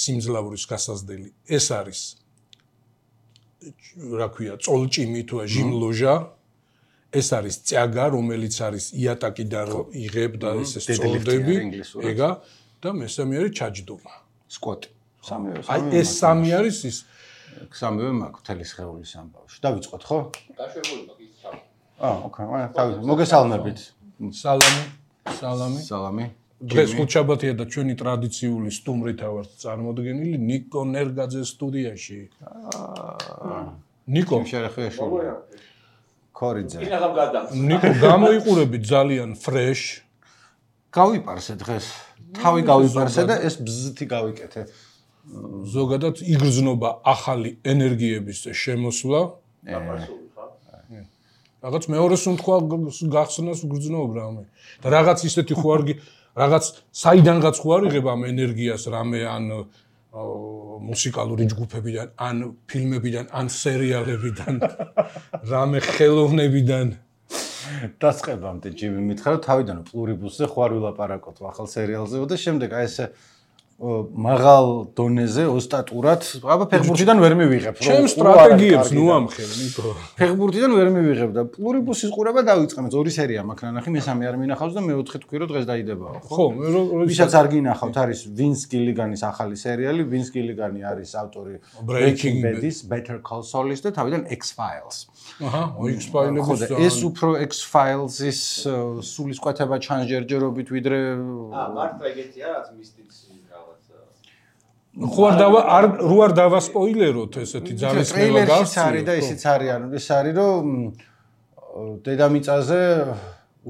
სიმძლავრის გასაზრდელი. ეს არის რა ქვია, წოლჭიმი თუ ჟიმლოჟა. ეს არის წიაგა, რომელიც არის იატაკიდან იღებ და ესე სწორდები, ეგა და მესამე არის ჩაჯდომა. სკვოტი. ეს სამი არის ის სამივე მაქვს მთელი სხეულის ამბავში. დავიწყოთ, ხო? დაშვებული მაქვს ის სამი. ოკეი, თავი. მოგესალმებით. სალამი. დღეს ხუთშაბათია და ჩვენი ტრადიციული სტუმრითა ვართ წარმოდგენილი ნიკო ნერგაძეს სტუდიაში. ნიკო შერეხეშვილი. ქორიძე. ნიკო გამოიყურები ძალიან ფრეშ. გავიპარსე დღეს. თავი გავიპარსე და ეს ბზთი გავიკეთე. ზოგადად იგრძნობა ახალი ენერგიების შემოსვლა. რაღაც მეორეს უნდა გახსნას გრძნობ რამე. და რაღაც ისეთი ხო არ რაღაც საიდანღაც ხო არ იღებ ამ ენერგიას რამე ან მუსიკალური ჯგუფებიდან, ან ფილმებიდან, ან სერიალებიდან, რამე ხელოვნებიდან. დასწებამდე ჯიმი მითხრა რომ თავიდან პლურიბუსზე ხო არ ვილაპარაკოთ ახალ სერიალზე და შემდეგ აი ესე მაღალ დონეზე ოსტატურად, აბა ფეხბურთიდან ვერ მივიღებ რომ ჩემ სტრატეგიებს ნუ ამხელ ნიკო. ფეხბურთიდან ვერ მივიღებ და პლურიბუსის ყურება დავიწყემ, 2 სერია მაქვს ნანახი, მესამე არ მინახავს და მეოთხე თქვი რომ დღეს დაიდებაო, ხო? ხო, ვისაც არ გინახავთ, არის ვინს გილიგანის ახალი სერიალი, ვინს გილიგანი არის ავტორი Breaking Bad-ის, Better Call Saul-ის და თავიდან X-Files. აჰა, X-Files-ის ეს უფრო X-Files-ის სულისკვეთება ჩანჯერჯერობით ვიდრე მართლა ეგეთია რაც მისტიცი ხო არ დავასპოილეროთ ესეთი ძალისხმევა გავს არის და ისიც არის ანუ ეს არის რომ დედამიწაზე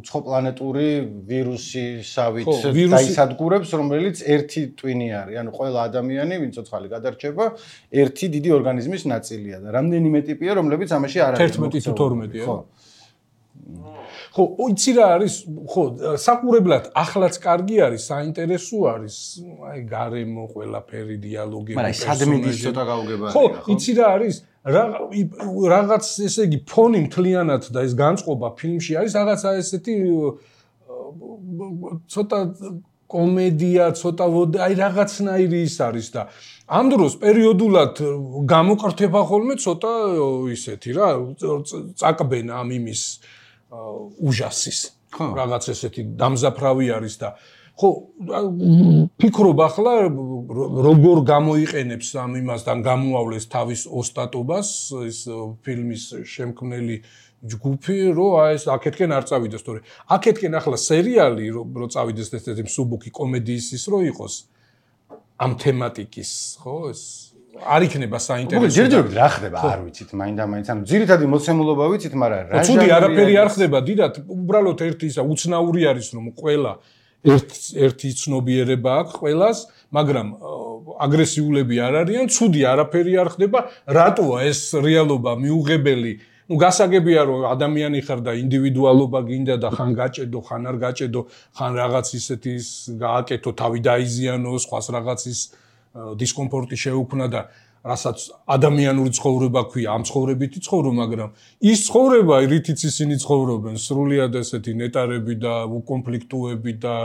უცხო პლანეტური ვირუსისავით დაისადგურებს რომელიც ერთი ტვინი არის ანუ ყველა ადამიანი ვინ ცოცხალი გადარჩება ერთი დიდი ორგანიზმის ნაწილია და რამდენიმე ტიპია რომლებიც ამაში არ არის 11 თუ 12 ხო ხო, იცი რა არის, ხო, საყურებლად ახლაც კარგი არის, საინტერესო არის, აი გარემო ყველაფერი დიალოგები, მაგრამ სადმიდის ცოტა გაუგებარია, ხო? ხო, იცი რა არის, რაღაც ესე იგი ფონი მთლიანად და ეს განწყობა ფილმში არის რაღაცა ესეთი ცოტა კომედია, ცოტა აი რაღაცნაირი ის არის და ამ დროს პერიოდულად გამოყრთება ხოლმე ცოტა ისეთი რა, წაკბენა ამ იმის უჟასის რაღაც ესეთი დამზაფრავი არის და ხო ფიქრობ ახლა როგორ გამოიყენებს ამ იმასთან გამოავლეს თავის ოსტატობას ეს ფილმის შემქმნელი ჯგუფი რომ აი ეს აქეთკენ არ წავიდეს თორე აქეთკენ ახლა სერიალი რომ წავიდეს ესეთი მსუბუქი კომედიის ის რო იყოს ამ თემატიკის ხო ეს არ იქნება საინტერესო. ჯერჯერობით რა ხდება, არ ვიცით, მაინდა-მაინც, ანუ ძირითადი მოცემულობა ვიცით, მაგრამ რა ცუდი არაფერი არ ხდება, დიდად, უბრალოდ ერთი ისა უცნაური არის, რომ ყველა ერთი ცნობიერება აქვს ყველას, მაგრამ აგრესიულები არ არიან, ცუდი არაფერი არ ხდება, რატოა ეს რეალობა მიუღებელი? ნუ გასაგებია რომ ადამიანი ხარ და ინდივიდუალობა გინდა და ხან გაჭედო, ხან არ გაჭედო, ხან რაღაც ისეთის გააკეთო, თავი დაიზიანო, სხვას რაღაცის დისკომფორტი შეუქმნა და რასაც ადამიანური ცხოვრება ქვია, ამ ცხოვრებითი ცხოვრო, მაგრამ ის ცხოვრება, რითიც ისინი ცხოვრობენ, სრულიად ესეთი ნეტარები და უკონფლიქტუები და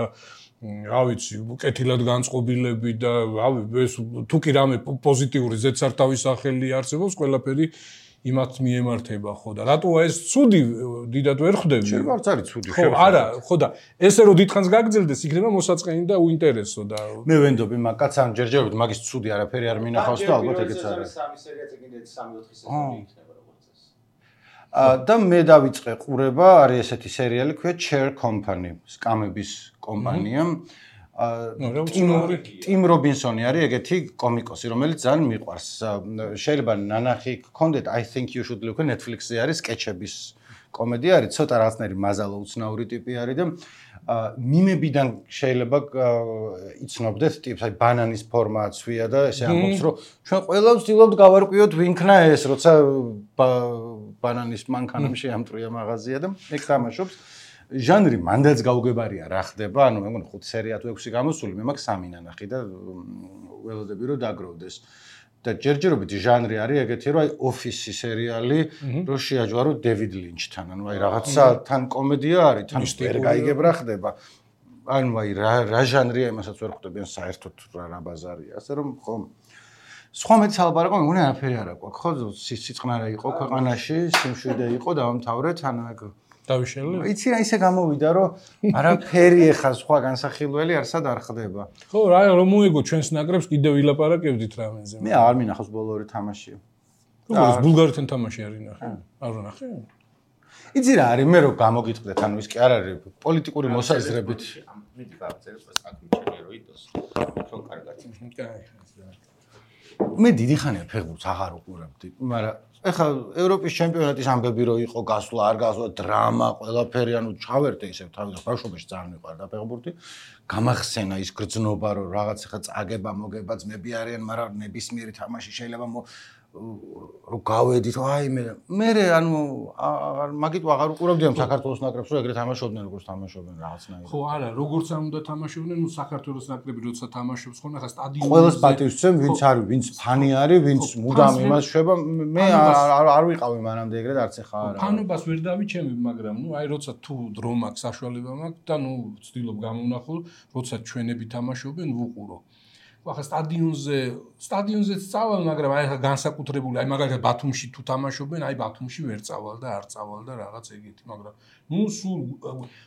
რა ვიცი, კეთილად განწყობილები და ეს თუ კი რამე პოზიტიური ზედსართავის სახელი არსებობს, ყველაფერი იმათ მიემართება, ხო და რატოა ეს ცუდი დიდად ვერ ხვდები? შეიძლება არც არის ცუდი, ხო, არა, ხო და ესე რომ დიდხანს გაგრძელდეს, იქნება მოსაწყენი და უინტერესო და მე ვენდობი მაგაც ან ჯერჯერობით მაგის ცუდი არაფერი არ მინახავს და ალბათ ეგეც არის. სამი სერიაც ეგინდა 3-4 სეზონი იქნება როგორც ეს. და მე დავიწყე ყურება, არის ესეთი სერიალი, ქვია Chair Company, სკამების კომპანია. ტიმ რობინსონი არის ეგეთი კომიკოსი, რომელიც ძალიან მიყვარს. შეიძლება ნანახი გქონდეთ, I think you should look Netflix-ზე არის სკეჩების კომედია არის, ცოტა რაღაცნაირი მაზალო უცნაური ტიპი არის და მიმებიდან შეიძლება იცნობდეთ ტიპს, აი ბანანის ფორმა აცვია და ესე ამბობს, რომ ჩვენ ყველა ვცდილობთ გავარკვიოთ ვინქნა ეს, როცა ბანანის მანქანამ შეამტრია მაღაზია და ეგ თამაშობს. ჟანრი მანდაც გაუგებარია რა ხდება, ანუ მე მგონი 5 სერია თუ 6 გამოსული, მე მაქვს 3 ნანახი და ველოდები რომ დაგროვდეს. და ჯერჯერობით ჟანრი არის ეგეთი, რომ აი ოფისი სერიალი, რომ შეაჯვარო დევიდ ლინჩთან, ანუ აი რაღაცა თან კომედია არის, თან ვერ გაიგებ რა ხდება. ანუ აი რა ჟანრია იმასაც ვერ ხვდებიან საერთოდ რა ბაზარია. ასე რომ ხო სხვა მეტი ალბარაკო მეგონი არაფერი არ აქვს. ხო სიწყნარე იყო ქვეყანაში, სიმშვიდე იყო დავამთავრეთ, ანუ ეგ დავიშალე. იცი რა ისე გამოვიდა რომ არაფერი ეხა სხვა განსახილველი არსად არ ხდება. ხო რა რომ მოიგო ჩვენს ნაკრებს კიდევ ვილაპარაკებდით რამენზე. მე არ მინახავს ბოლო ორი თამაში. როგორ ბულგარეთთან თამაში არ ინახე? არ ვნახე? იცი რა არის მე რო გამოგიტყდეთ, ანუ ის კი არ არის პოლიტიკური მოსაზრებით. მიდი გავწერე საკუთრებული რო იდოს. ხო კარგად. მე დიდი ხანია ფეხბურთს აღარ უყურებდი, მაგრამ ეხლა ევროპის ჩემპიონატის ამბები რო იყო გასვლა, არ გასვლა, დრამა, ყველაფერი, ანუ ჩავერთე ისევ თავიდან ბავშვობაში ძალიან მიყვარდა ფეხბურთი. გამახსენა ის გრძნობა, რომ რაღაც ეხლა წაგება, მოგება ძმები არიან, მაგრამ ნებისმიერი თამაში შეიძლება რო გავედით, აი მე ანუ მაგით აღარ უყურებდი ამ საქართველოს ნაკრებს, რომ ეგრე თამაშობდნენ, როგორც თამაშობენ რაღაცნაირად. ხო, არა, როგორც არ უნდა თამაშობდნენ, ნუ საქართველოს ნაკრები როცა თამაშობს, ხო, ახლა სტადიონზე ყველას პატივს ვცემ, ვინც არის, ვინც ფანი არის, ვინც მუდამ იმას შვება, მე არ ვიყავი მანამდე ეგრეთ, არც ეხა არა. ფანობას ვერ დავიჩემი, მაგრამ ნუ აი როცა თუ დრო მაქვს, საშუალება მაქვს და ნუ ვცდილობ გამოვნახო, როცა ჩვენები თამაშობენ, ვუყურო. ახლა სტადიონზეც წავალ, მაგრამ აი ახლა განსაკუთრებული, აი მაგალითად ბათუმში თუ თამაშობენ, აი ბათუმში ვერ წავალ და არ წავალ და რაღაც ეგეთი, მაგრამ ნუ სულ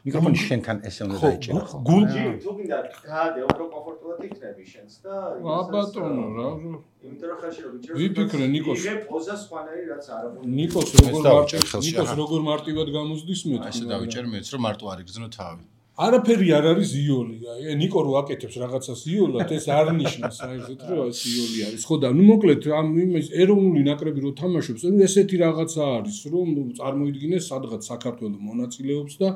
მიკროფონი შენთან ესე უნდა დაიჭერა. გულჯი თუ გინდა გაადე უფრო კომფორტულად იქნები შენს და ბატონო რა იმიტომ რომ ხალხი რო ვიჭერს ვიფიქრე ნიკოს იგე პოზა სხვანაირი რაც არ აქვს ნიკოს როგორ მარტივად გამოსდის მე ესე დავიჭერ მეც რომ მარტო არ იგრძნო თავი. არაფერი არ არის იული. აი ნიკო რო აკეთებს რაღაცას იოლად, ეს არ ნიშნავს საერთოდ რომ ეს იული არის. ხო და ნუ მოკლედ ამ იმის ეროვნული ნაკრები რო თამაშობს, ნუ ესეთი რაღაცა არის, რომ წარმოიდგინეს სადღაც საქართველოს მონაწილეობს და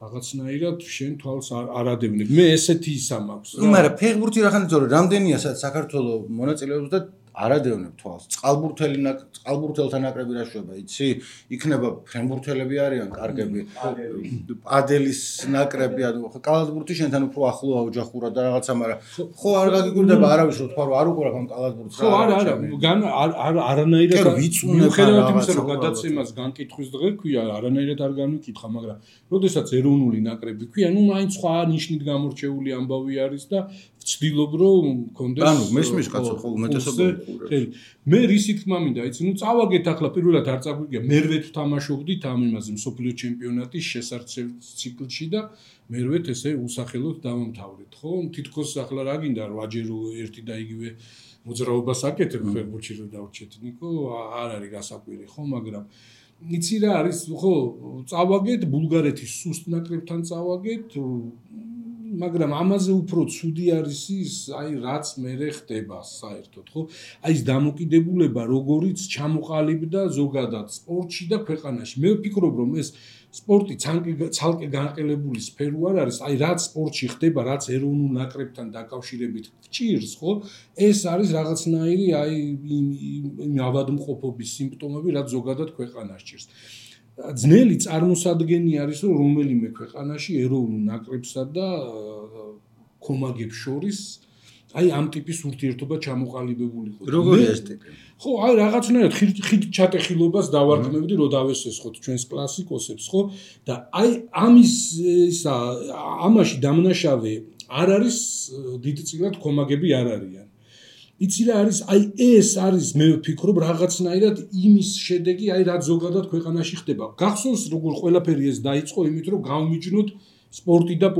რაღაცნაირად შენ თვალს არ ადევნებ. მე ესეთი ისა მაქვს. მაგრამ ფეხბურთი რახანით ზორო რამდენია საქართველოს მონაწილეობს და არადევნებ თვალს. წყალბურთელთა ნაკრები რა შვება, იცი? იქნება ფრენბურთელები არიან კარგები. ადელის ნაკრები, ანუ კალათბურთი შენთან უფრო ახლოა ოჯახურად და რაღაცა, მაგრამ ხო არ გაგიკვირდება არავის რო თქვა რომ არ უყურებ ამ კალათბურთს. ხო არა არანაირად მიუხედავად იმისა რომ გადაცემას განკითხვის დღე ქვია, არანაირად არ განვიკითხა, მაგრამ როდესაც ეროვნული ნაკრები ქვია, ნუ მაინც სხვა ნიშნით გამორჩეული ამბავი არის და ვცდილობ რომ მქონდეს ანუ მესმის კაცო ხო უმეტესობა მე რისი თქმა მინდა იცი ნუ წავაგეთ ახლა პირველად არ წაგვიგია მერვე თუ თამაშობდით ამ იმაზე მსოფლიო ჩემპიონატის შესარჩევ ციკლში და მერვე ესე უსახელოდ დავამთავრეთ ხო თითქოს ახლა რა გინდა 8ჯერ ერთი და იგივე მოძრაობას აკეთებ ფეხბურთში რომ დავრჩეთ ნიკო არ არის გასაკვირი ხო მაგრამ იცი რა არის ხო წავაგეთ ბულგარეთის სუსტ ნაკრებთან წავაგეთ მაგრამ ამაზე უფრო ცუდი არის ის, აი რაც მერე ხდება საერთოდ, ხო? აი ეს დამოკიდებულება, როგორიც ჩამოყალიბდა ზოგადად სპორტში და ქვეყანაში. მე ვფიქრობ, რომ ეს სპორტი ცალკე განყელებული სფერო არ არის, აი რაც სპორტში ხდება, რაც ეროვნულ ნაკრებთან დაკავშირებით გჭირს, ხო? ეს არის რაღაცნაირი აი იმ ავადმყოფობის სიმპტომები, რაც ზოგადად ქვეყანას ჭირს. ძნელი წარმოსადგენი არის რომ რომელიმე ქვეყანაში ეროვნულ ნაკრებსა და კომაგებს შორის აი ამ ტიპის ურთიერთობა ჩამოყალიბებულიყო. როგორია ეს ტიპი? ხო, აი რაღაცნაირად ხით ჩატეხილობას დავარქმევდი რომ დავესესხოთ ჩვენს კლასიკოსებს, ხო? და აი ამის ისა ამაში დამნაშავე არ არის დიდწილად კომაგები არ არიან. იცი რა არის აი ეს არის მე ვფიქრობ რაღაცნაირად იმის შედეგი აი რაც ზოგადად ქვეყანაში ხდება გახსოვს როგორ ყველაფერი ეს დაიწყო იმით რომ გავმიჯნოთ სპორტი და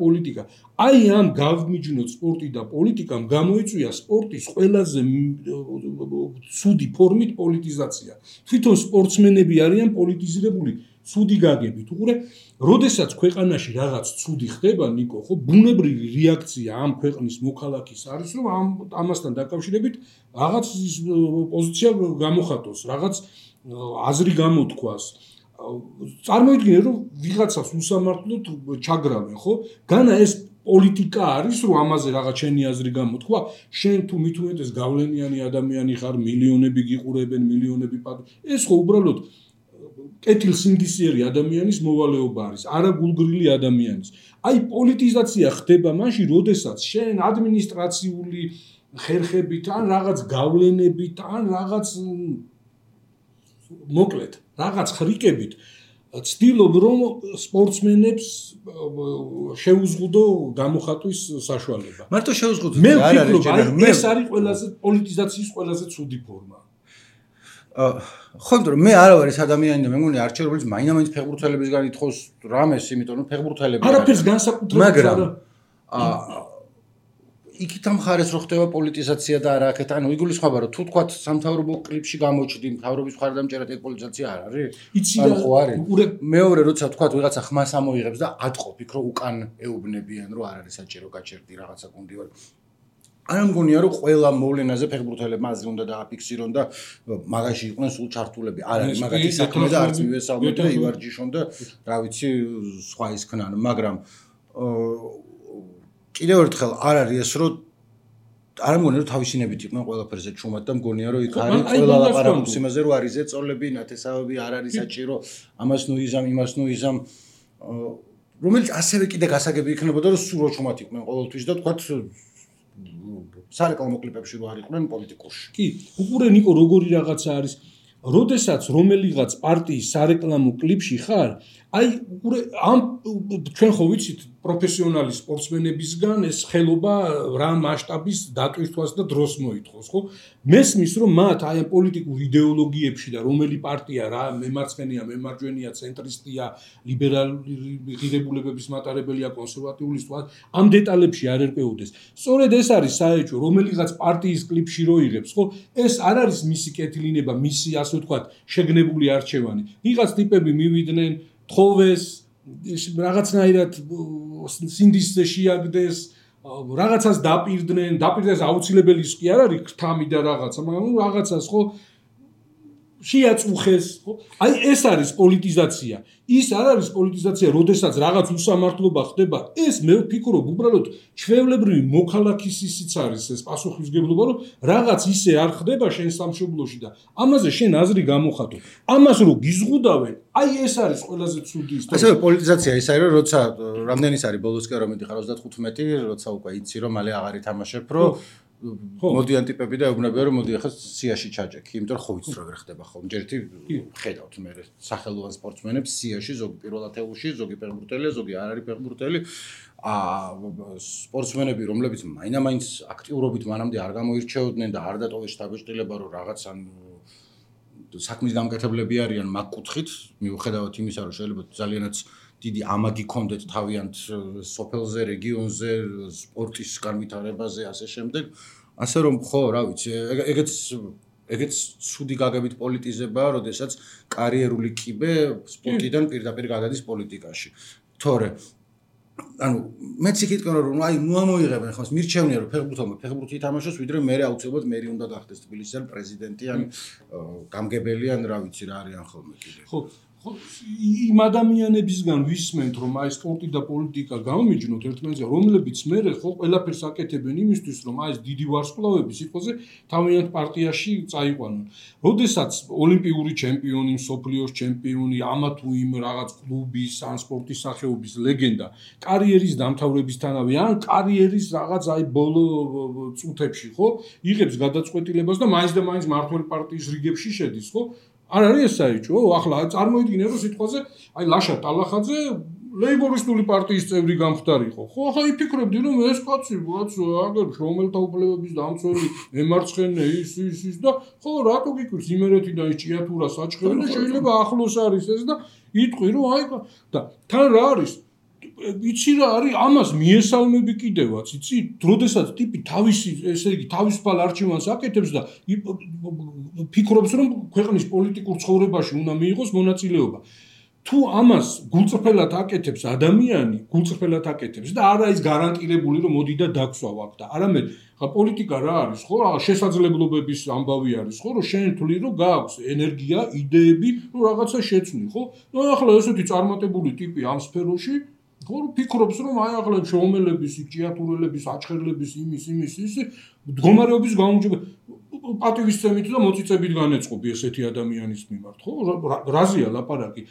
პოლიტიკა აი ამ გავმიჯნოთ სპორტი და პოლიტიკამ გამოიწვია სპორტის ყველაზე ცუდი ფორმით პოლიტიზაცია თვითონ სპორტსმენები არიან პოლიტიზირებული ცუდი გაგებით უყურე როდესაც ქვეყანაში რაღაც ცუდი ხდება ნიკო ხო ბუნებრივი რეაქცია ამ ქვეყნის მოქალაქის არის რომ ამასთან დაკავშირებით რაღაც პოზიცია გამოხატოს რაღაც აზრი გამოთქვას წარმოიდგინე რომ ვიღაცას უსამართლოდ ჩაგრავენ ხო განა ეს პოლიტიკა არის რომ ამაზე რაღაც შენი აზრი გამოთქვა შენ თუ მithumetes გავლენიანი ადამიანი ხარ მილიონები გიყურებენ მილიონები ეს ხო უბრალოდ კეთილსინდისიერი ადამიანის მოვალეობა არის, არა გულგრილი ადამიანის. აი პოლიტიზაცია ხდება მაშინ, როდესაც შენ ადმინისტრაციული ხერხებით ან რაღაც გავლენებით ან რაღაც მოკლედ, რაღაც ხრიკებით ცდილობ რომ სპორტსმენებს შეუზღუდო გამოხატვის საშუალება. მარტო შეუზღუდო მე ვფიქრობ, ეს არის ყველაზე პოლიტიზაციის ყველაზე ცუდი ფორმა. ხო, მაგრამ მე არა ვარ ეს ადამიანი და მე მგონი არჩევ რომელიც მაინც ფეხბურთელებისგან ითხოვს რამეს, იმიტომ რომ ფეხბურთელები არაფერს განსაკუთრებით მაგრამ იქით ამ ხარეს რო ხდება პოლიტიზაცია და არა აქეთ, ანუ იგულისხმება რომ თუ თქვათ სამთავრობო კლიპში გამოჩდი, მთავრობის მხარდამჭერად ეგ პოლიტიზაცია არ არის? იცი რა ხო არის? მეორე როცა თქვათ ვიღაცა ხმას ამოიღებს და ატყობ იქ რომ უკან ეუბნებიან რომ არ არის საჭირო გაჩერდი რაღაცა გუნდი ვარ. არა მგონია რომ ყველა მოვლენაზე ფეხბურთელებმა აზრი უნდა დააფიქსირონ და მაგაში იყვნენ სულ ჩართულები. არ არის მაგათი საქმე და არც მივესალმე და ივარჯიშონ და რა ვიცი სხვა ის ქნან, მაგრამ კიდევ ერთხელ არ არის ეს რომ არ მგონია რომ თავისინებით იყვნენ ყველაფერზე ჩუმად და მგონია რომ იქ არის ყველა ლაპარაკობს იმაზე რომ არის ზეწოლები, ნათესავები, არ არის საჭირო, ამას ნუ იზამ, იმას ნუ იზამ, რომელიც ასევე კიდე გასაგები იქნებოდა რომ სულ რო ჩუმად იყვნენ ყოველთვის და თქვათ სარეკლამო კლიპებში რო არ იყვნენ პოლიტიკურში. კი, უყურე ნიკო როგორი რაღაცა არის, როდესაც რომელიღაც პარტიის სარეკლამო კლიპში ხარ, აი უყურე ამ ჩვენ ხო ვიცით პროფესიონალი სპორტსმენებისგან ეს ხელობა რა მასშტაბის დატვირთვას და დროს მოითხოვს, ხო? მესმის რომ მათ აი ამ პოლიტიკურ იდეოლოგიებში და რომელი პარტია რა მემარცხენეა, მემარჯვენეა, ცენტრისტია, ლიბერალური ღირებულებების მატარებელია, კონსერვატიულისტია, ამ დეტალებში არ ერკვეოდეს. სწორედ ეს არის საერთო რომელიღაც პარტიის კლიპში რო იღებს, ხო? ეს არ არის მისი კეთილინება, მისი ასე ვთქვათ, შეგნებული არჩევანი. ვიღაც ტიპები მივიდნენ, თხოვეს რაღაცნაირად სინდისზე შეაგდეს, რაღაცას დაპირდეს აუცილებელი ის კი არ არის ქრთამი და რაღაცა, მაგრამ რაღაცას ხო შეაწუხეს, ხო? აი ეს არის პოლიტიზაცია. ის არ არის პოლიტიზაცია, როდესაც რაღაც უსამართლობა ხდება, ეს მე ვფიქრობ უბრალოდ ჩვეულებრივი მოქალაქის ისიც არის ეს პასუხისმგებლობა, რომ რაღაც ისე არ ხდება შენ სამშობლოში და ამაზე შენ აზრი გამოხატო. ამას რო გიზღუდავენ, აი ეს არის ყველაზე ცუდი ისტორია. ასევე პოლიტიზაცია ის არის, რომ როცა რამდენის არის ბოლოსკენ რომ მიდიხარ 35, როცა უკვე იცი რომ მალე აღარ ითამაშებ, რომ მოდიან ტიპები და ეუბნებიან რომ მოდი ახლა სიაში ჩაჯექი, იმიტომ რომ ხო ვიცი როგორ ხდება ხოლმე. ჯერ ერთი ხედავთ მე სახელოვან სპორტსმენებს სიაში, ზოგი პირველ ათეულში, ზოგი ფეხბურთელია, ზოგი არ არის ფეხბურთელი. სპორტსმენები, რომლებიც მაინც აქტიურობით მანამდე არ გამოირჩეოდნენ და არ დატოვეს შთაბეჭდილება, რომ რაღაც ან საქმის გამკეთებლები არიან მაგ კუთხით, მიუხედავად იმისა, რომ შეიძლება ძალიანაც დიდი ამაგი კონდეთ თავიანთ სოფელზე, რეგიონზე, სპორტის განვითარებაზე, ასე შემდეგ. ასე რომ ხო, რა ვიცი, ეგეც ცუდი გაგებით პოლიტიზებაა, როდესაც კარიერული კიბე სპორტიდან პირდაპირ გადადის პოლიტიკაში. თორე ანუ მეც იქითქო რომ აი ნუ ამოიღებენ ხოს მირჩევნია რომ ფეხბურთი ითამაშოს, ვიდრე მე აუცილებლად მერი უნდა გახდეს თბილისის პრეზიდენტი ან გამგებელი ან რა ვიცი რა არიან ხოლმე კიდე. ხო იმ ადამიანებისგან ვისმენთ რომ აი სპორტი და პოლიტიკა გამომიჯნოთ ერთმანეთზე, რომლებიც მე ხო ყველაფერს აკეთებენ იმისთვის რომ აი ეს დიდი ვარსკვლავები სიტყვაზე თავიანთ პარტიაში წაიყვანონ. როდესაც ოლიმპიური ჩემპიონი, მსოფლიოს ჩემპიონი, ამა თუ იმ რაღაც კლუბის ან სპორტის სახეობის ლეგენდა კარიერის დამთავრებისთანავე ან კარიერის რაღაც აი ბოლო წუთებში ხო იღებს გადაწყვეტილებას და მაინც მართველი პარტიის რიგებში შედის, ხო? არ არის ეს საერთო? ახლა წარმოიდგინე რომ სიტყვაზე აი ლაშა ტალახაძე ლეიბორისტული პარტიის წევრი გამხდარიყო. ხო, ახლა იფიქრებდი რომ ეს კაცი აგერ შრომელთა უფლებების დამცველი, მემარცხენე ის და ხო რატო გიკვირს იმერეთიდან ის ჭიათურა საჩხერი და შეიძლება ახლოს არის ეს და იტყვი რომ აი და თან რა არის? იცი რა არის ამას მიესალმები კიდევაც, იცი? როდესაც ტიპი თავისი, ესე იგი, თავისუფალ არჩევანს აკეთებს და ფიქრობს რომ ქვეყნის პოლიტიკურ ცხოვრებაში უნდა მიიღოს მონაწილეობა. თუ ამას გულწრფელად აკეთებს ადამიანი, გულწრფელად აკეთებს და არა ის გარანტირებული რომ მოდი და დაგსვავ აქ და არამედ ხა პოლიტიკა რა არის, ხო? რა შესაძლებლობების ამბავი არის, ხო? რომ შენ თვლი რომ გააქვს ენერგია, იდეები, რომ რაღაცა შეცვლი, ხო? ნუ ახლა ესეთი წარმატებული ტიპი ამ სფეროში ხო ფიქრობს რომ აი ახლა შრომელების, ჭიათურელების, აჩხერლების იმის მდგომარეობის გაუმჯობესება პატივისცემით და მოწიწებით განეწყობი ესეთი ადამიანის მიმართ, ხო? რაზეა ლაპარაკი?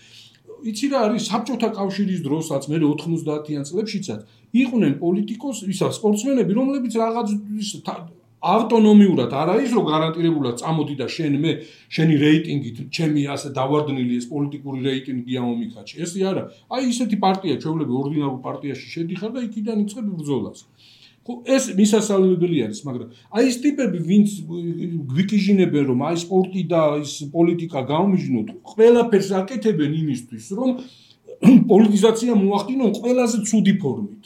იცი რა არის საბჭოთა კავშირის დროსაც, მე 90-იან წლებშიცაც იყვნენ პოლიტიკოსი, ისა სპორტსმენები, რომლებიც რაღაც ავტონომიურად არ არის რომ გარანტირებულად წამოდი და შენი რეიტინგით ჩემი ასე დავარდნილი ეს პოლიტიკური რეიტინგი ამომიქაჩი. ესე არა. აი ისეთი პარტია ჩვეულები ორდინარულ პარტიაში შედიხარ და იქიდან იწყებ ბრძოლას. ხო ეს მისასალმებელი არის, მაგრამ აი ეს ტიპები ვინც გვიკიჟინებენ რომ აი სპორტი და ის პოლიტიკა გამომიჯნოთ, ყველაფერს აკეთებენ იმისთვის რომ პოლიტიზაცია მოახდინონ ყველაზე ცუდი ფორმით.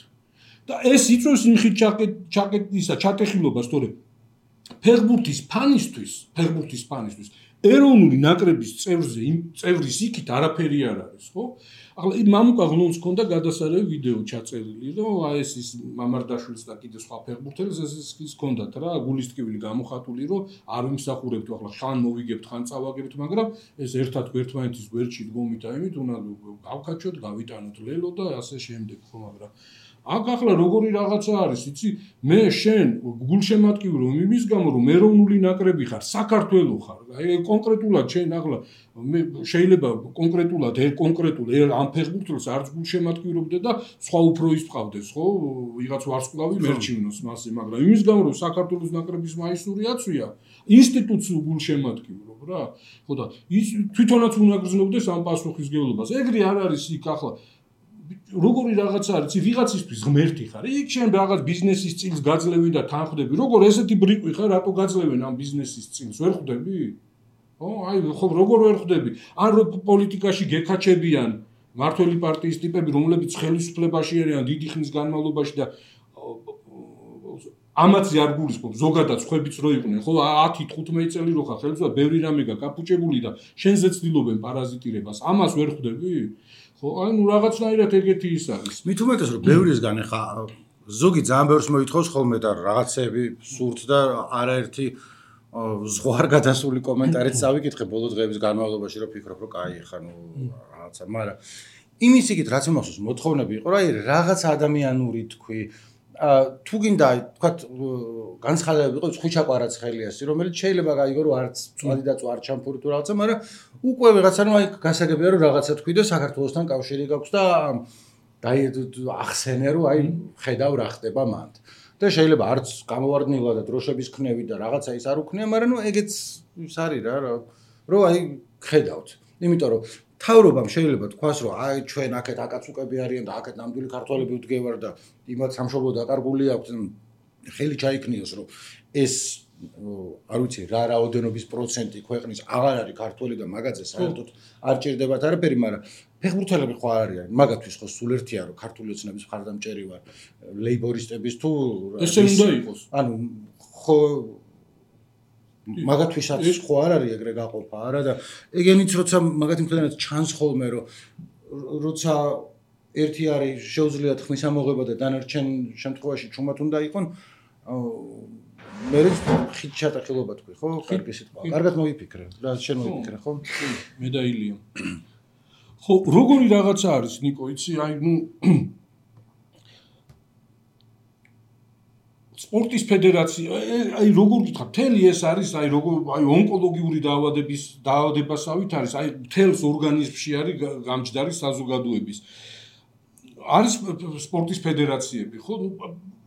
და ეს იწვევს იმ ხით ჩატეხილობას, თორემ ფეხბურთის ფანისთვის ეროვნული ნაკრების წევრის იქით არაფერი არ არის, ხო? ახლა მამუკა ღლონს ჰქონდა გადასარევი ვიდეო ჩაწერილი, რომ აი ეს მამარდაშვილს და კიდე სხვა ფეხბურთელს ეს ჰქონდათ რა, გულისტკივილი გამოხატული, რომ არ ვიმსახურებთ, ახლა ხან მოვიგებთ, ხან წავაგებთ, მაგრამ ეს ერთად ერთმანეთის გვერდში დგომით და იმით უნდა გავკაჩოთ, გავიტანოთ ლელო და ასე შემდეგ, ხო, მაგრამ აქ ახლა როგორი რაღაცა არის, იცი? მე შენ გულშემატკივი რომ იმის გამო რომ ეროვნული ნაკრები ხარ, საქართველო ხარ. აი კონკრეტულად შენ ახლა მე შეიძლება კონკრეტულად ამ ფეხბურთელს არც გულშემატკივრობდე და სხვა უფროის ვყავდეს, ხო? ვიღაც ვარსკვლავი მერჩივნოს მასე, მაგრამ იმის გამო რომ საქართველოს ნაკრების მაისური აწვია, ინსტიტუტს გულშემატკივრობ რა. ხო და ის თვითონაც უნდა გრძნობდეს ამ პასუხისმგებლობას. ეგრე არ არის იქ ახლა როგორი რაღაცა არის, ვიღაცისთვის ღმერთი ხარ. იქ შენ რაღაც ბიზნესის წილს გაძლევი და თანხდები. როგორ ესეთი ბრიყვი ხარ, რატო გაძლევენ ამ ბიზნესის წილს? ვერ ხვდები? ხო, აი ხო, როგორ ვერ ხვდები? ან რო პოლიტიკაში გეკაჩებიან მართველი პარტიის ტიპები, რომლებიც ხელისუფლებაში არიან დიდი ხნის განმავლობაში და ამაც არ გულისხმობ, ზოგადად ხვებიც რო იყვნენ, ხო, 10-15 წელი რო ხარ ხელისუფლება, ბევრი რამე გაკაპუჭებული და შენზე ცდილობენ პარაზიტირებას. ამას ვერ ხვდები? ხო, აი ნუ რაღაცნაირად ეგეთი ის არის. მით უმეტეს რომ ბევრისგან ხა ზოგი ძალიან ბევრს მოითხოვს ხოლმე და რაღაცები სურთ და არაერთი ზღვარ გადასული კომენტარიც წავიკითხე ბოლო დღეების განმავლობაში რომ ფიქრობ რომ კაი ხა ნუ რაღაცა, მაგრამ იმის იქით რაც მომასოს მოთხოვნები იყო, რა აი რაღაც ადამიანური თქვი თუ გინდა თქვათ განცხადებები იყო ხვიჩა კვარაცხელიასი, რომელიც შეიძლება გაიგო რომ არც წვადი და წვარ ჩამფური თუ რაღაცა, მაგრამ უკვე ვიღაცა რომ აი გასაგებია რომ რაღაცა თქვი და საქართველოსთან კავშირი გაქვს და ახსენე რომ აი ხედავ რა ხდება მანდ. და შეიძლება არც გამოვარდნილა და დროშების ქნევი და რაღაცა ის არ უქნია, მაგრამ ნუ ეგეც ის არის რა, რომ აი ხედავთ. იმიტომ რომ თავრობამ შეიძლება თქვას რომ აი ჩვენ აქეთ აკაცუკები არიან და აქეთ ნამდვილი ქართველები ვდგევარ და იმათ სამშობლო დაკარგული აქვს, ხელი ჩაიქნიოს რომ ეს არ ვიცი რა რაოდენობის პროცენტი ქვეყნის აღარ არის ქართველი და მაგაზე საერთოდ არ ჭირდებათ არაფერი, მაგრამ ფეხბურთელები ხო არ არიან, მაგათთვის ხო სულ ერთია რომ ქართული ოცნების მხარდამჭერი ვარ, ლეიბორისტების თუ ესე უნდა იყოს. ანუ ხო მაგათვისაც ხო არ არის ეგრე გაყოფა არა და ეგენიც როცა მაგათი მხრიდან ჩანს ხოლმე რომ როცა ერთი არის შეუძლიათ ხმის ამოღება და დანარჩენ შემთხვევაში ჩუმად უნდა იყონ მე ხით ჩატახილობა თქვი ხო? კარგი სიტყვა. კარგად მოვიფიქრე. რა შენ მოვიფიქრე ხო? მე და ილია. ხო, როგორი რაღაცა არის ნიკო, იცი, აი ნუ სპორტის ფედერაცია, აი როგორ გითხრა, მთელი ეს არის, აი როგორ აი ონკოლოგიური დაავადებასავით არის, აი მთელს ორგანიზმში არის გამჯდარი საზოგადოების. არის სპორტის ფედერაციები, ხო?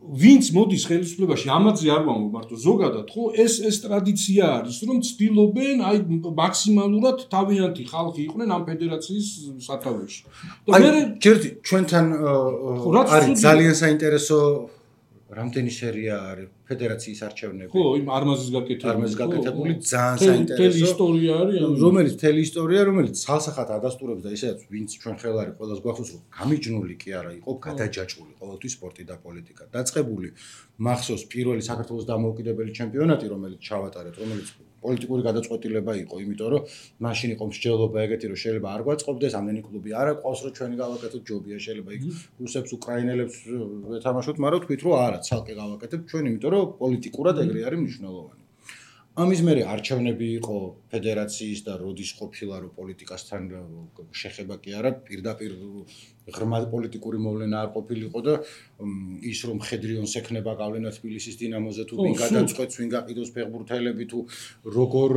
ვინც მოდის ხელისუფლებაში, ამაზე არ ვამბობ მარტო ზოგადად, ხო? ეს ტრადიცია არის, რომ ცდილობენ აი მაქსიმალურად თავიანთი ხალხი იყვნენ ამ ფედერაციის სათავეში. და მე ჯერდი ჩვენთან არის ძალიან საინტერესო რამდენი სერია არის ფედერაციის არჩევნები. ხო, იმ არმაზის გაკეთებული ძალიან საინტერესო ისტორია არის, რომელიც მთელი ისტორია, რომელიც ცალსახად ადასტურებს და ისედაც ვინც ჩვენ ხელარი ყველას გვახსოვს, რომ გამიჯნული კი არა იყო, გადაჯაჭვული ყოველთვის სპორტი და პოლიტიკა. დაწყებული მახსოვს პირველი საქართველოს დამოუკიდებელი ჩემპიონატი, რომელიც ჩავატარეთ, რომელიც პოლიტიკური გადაწყვეტილება იყო, იმიტომ რომ მაშინ იყო მსჯელობა ეგეთი, რომ შეიძლება არ გვაწყობდეს, ამდენი კლუბი არ აყვავს, რომ ჩვენი გავაკეთოთ ჯობია, შეიძლება იქ რუსებს, უკრაინელებს ვეთამაშოთ, მაგრამ თქვით რომ არა, ცალკე გავაკეთებთ ჩვენ, იმიტომ რომ პოლიტიკურად ეგრე არის მნიშვნელოვანი. ამის მერე არჩევნები იყო ფედერაციის და როდის ყოფილა რომ პოლიტიკასთან შეხება კი არა, პირდაპირ ღრმა პოლიტიკური მოვლენა არ ყოფილიყო და ის რომ მხედრიონს ექნება გავლენა თბილისის დინამოზე თუ ვინ გადაწყვეტს, ვინ გაყიდოს ფეხბურთელები თუ როგორ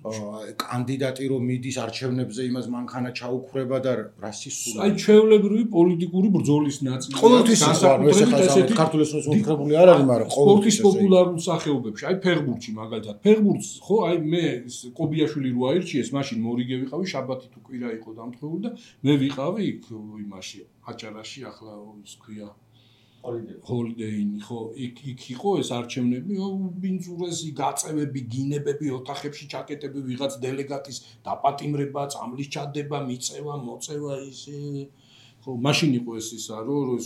კანდიდატი რომ მიდის არჩევნებზე იმას მანქანა ჩაუქრება და რასისტული. აი ჩვეულებრივი პოლიტიკური ბრძოლის ნაწილია. ყოველთვის ესეთი ქართული მოსახლეობები არ არის, მაგრამ სპორტის პოპულარულ სახეობებში, აი ფეხბურთში მაგალითად. ფეხბურთს ხო აი მე კობიაშვილი რო აირჩიეს, მაშინ მორიგე ვიყავი, შაბათი თუ კვირა იყო დამთხოვილი და მე ვიყავი იქ იმაში აჭარაში, ახლა ის ქვია ჰოლიდეინი ხო იქ იყო ეს არჩევნები ბინძურესი გაწევები გინებები ოთახებში ჩაკეტები ვიღაც დელეგატის დაპატიმრება წამლის ჩადება მიწევა მოწევა ისე ხო მაშინ იყო ეს ისა რომ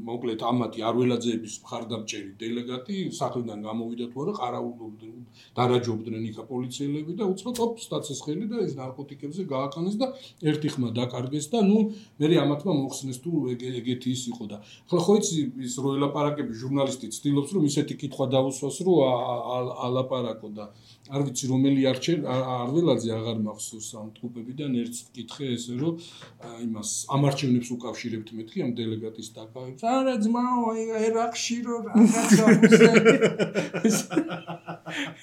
მოკლედ ამათი არველაძეების მხარდამჭერი დელეგატი სახლიდან გამოვიდა თუ არა ყარაულობდნენ დარაჯობდნენ იქა პოლიციელები და უცხოდ ოპ სტაცის ხელი და ეს ნარკოტიკებზე გააყენეს და ერთი ხმა დაკარგეს და ნუ მე ამათმა მოხსნეს თუ ეგეთი ის იყო და ახლა ხო იცი ის რო ელაპარაკები ჟურნალისტი ცდილობს რომ ისეთი კითხვა დაუსვას რომ ალაპარაკო და არ ვიცი რომელი არველაძე აღარ მახსოვს ამ ტყუპებიდან ერთ კითხე ესე რომ იმას ამარჩევნებს უკავშირებთ მეთქი ამ დელეგატის დაკავებს არა ძმაო ერაყში რომ რაღაცა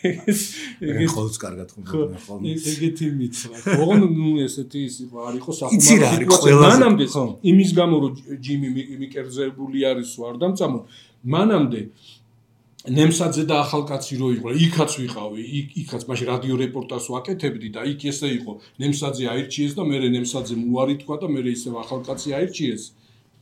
ეგ ხოლმე კარგად ხომ ხოლმე ეგეთი მიცხრა ოღონ ნუ ესეთი ის იყო არ იყო სახუმარო მანამდე იმის გამო რომ ჯიმი მიკერძებული არის ვარ და მწამო მანამდე ნემსაძე და ახალკაცი რო იყო იქაც ვიყავი იქაც მაშინ რადიო რეპორტაჟს ვაკეთებდი და იქ ესე იყო ნემსაძე აირჩიეს და მე ნემსაძემ უარი თქვა და მე ისევ ახალკაცი აირჩიეს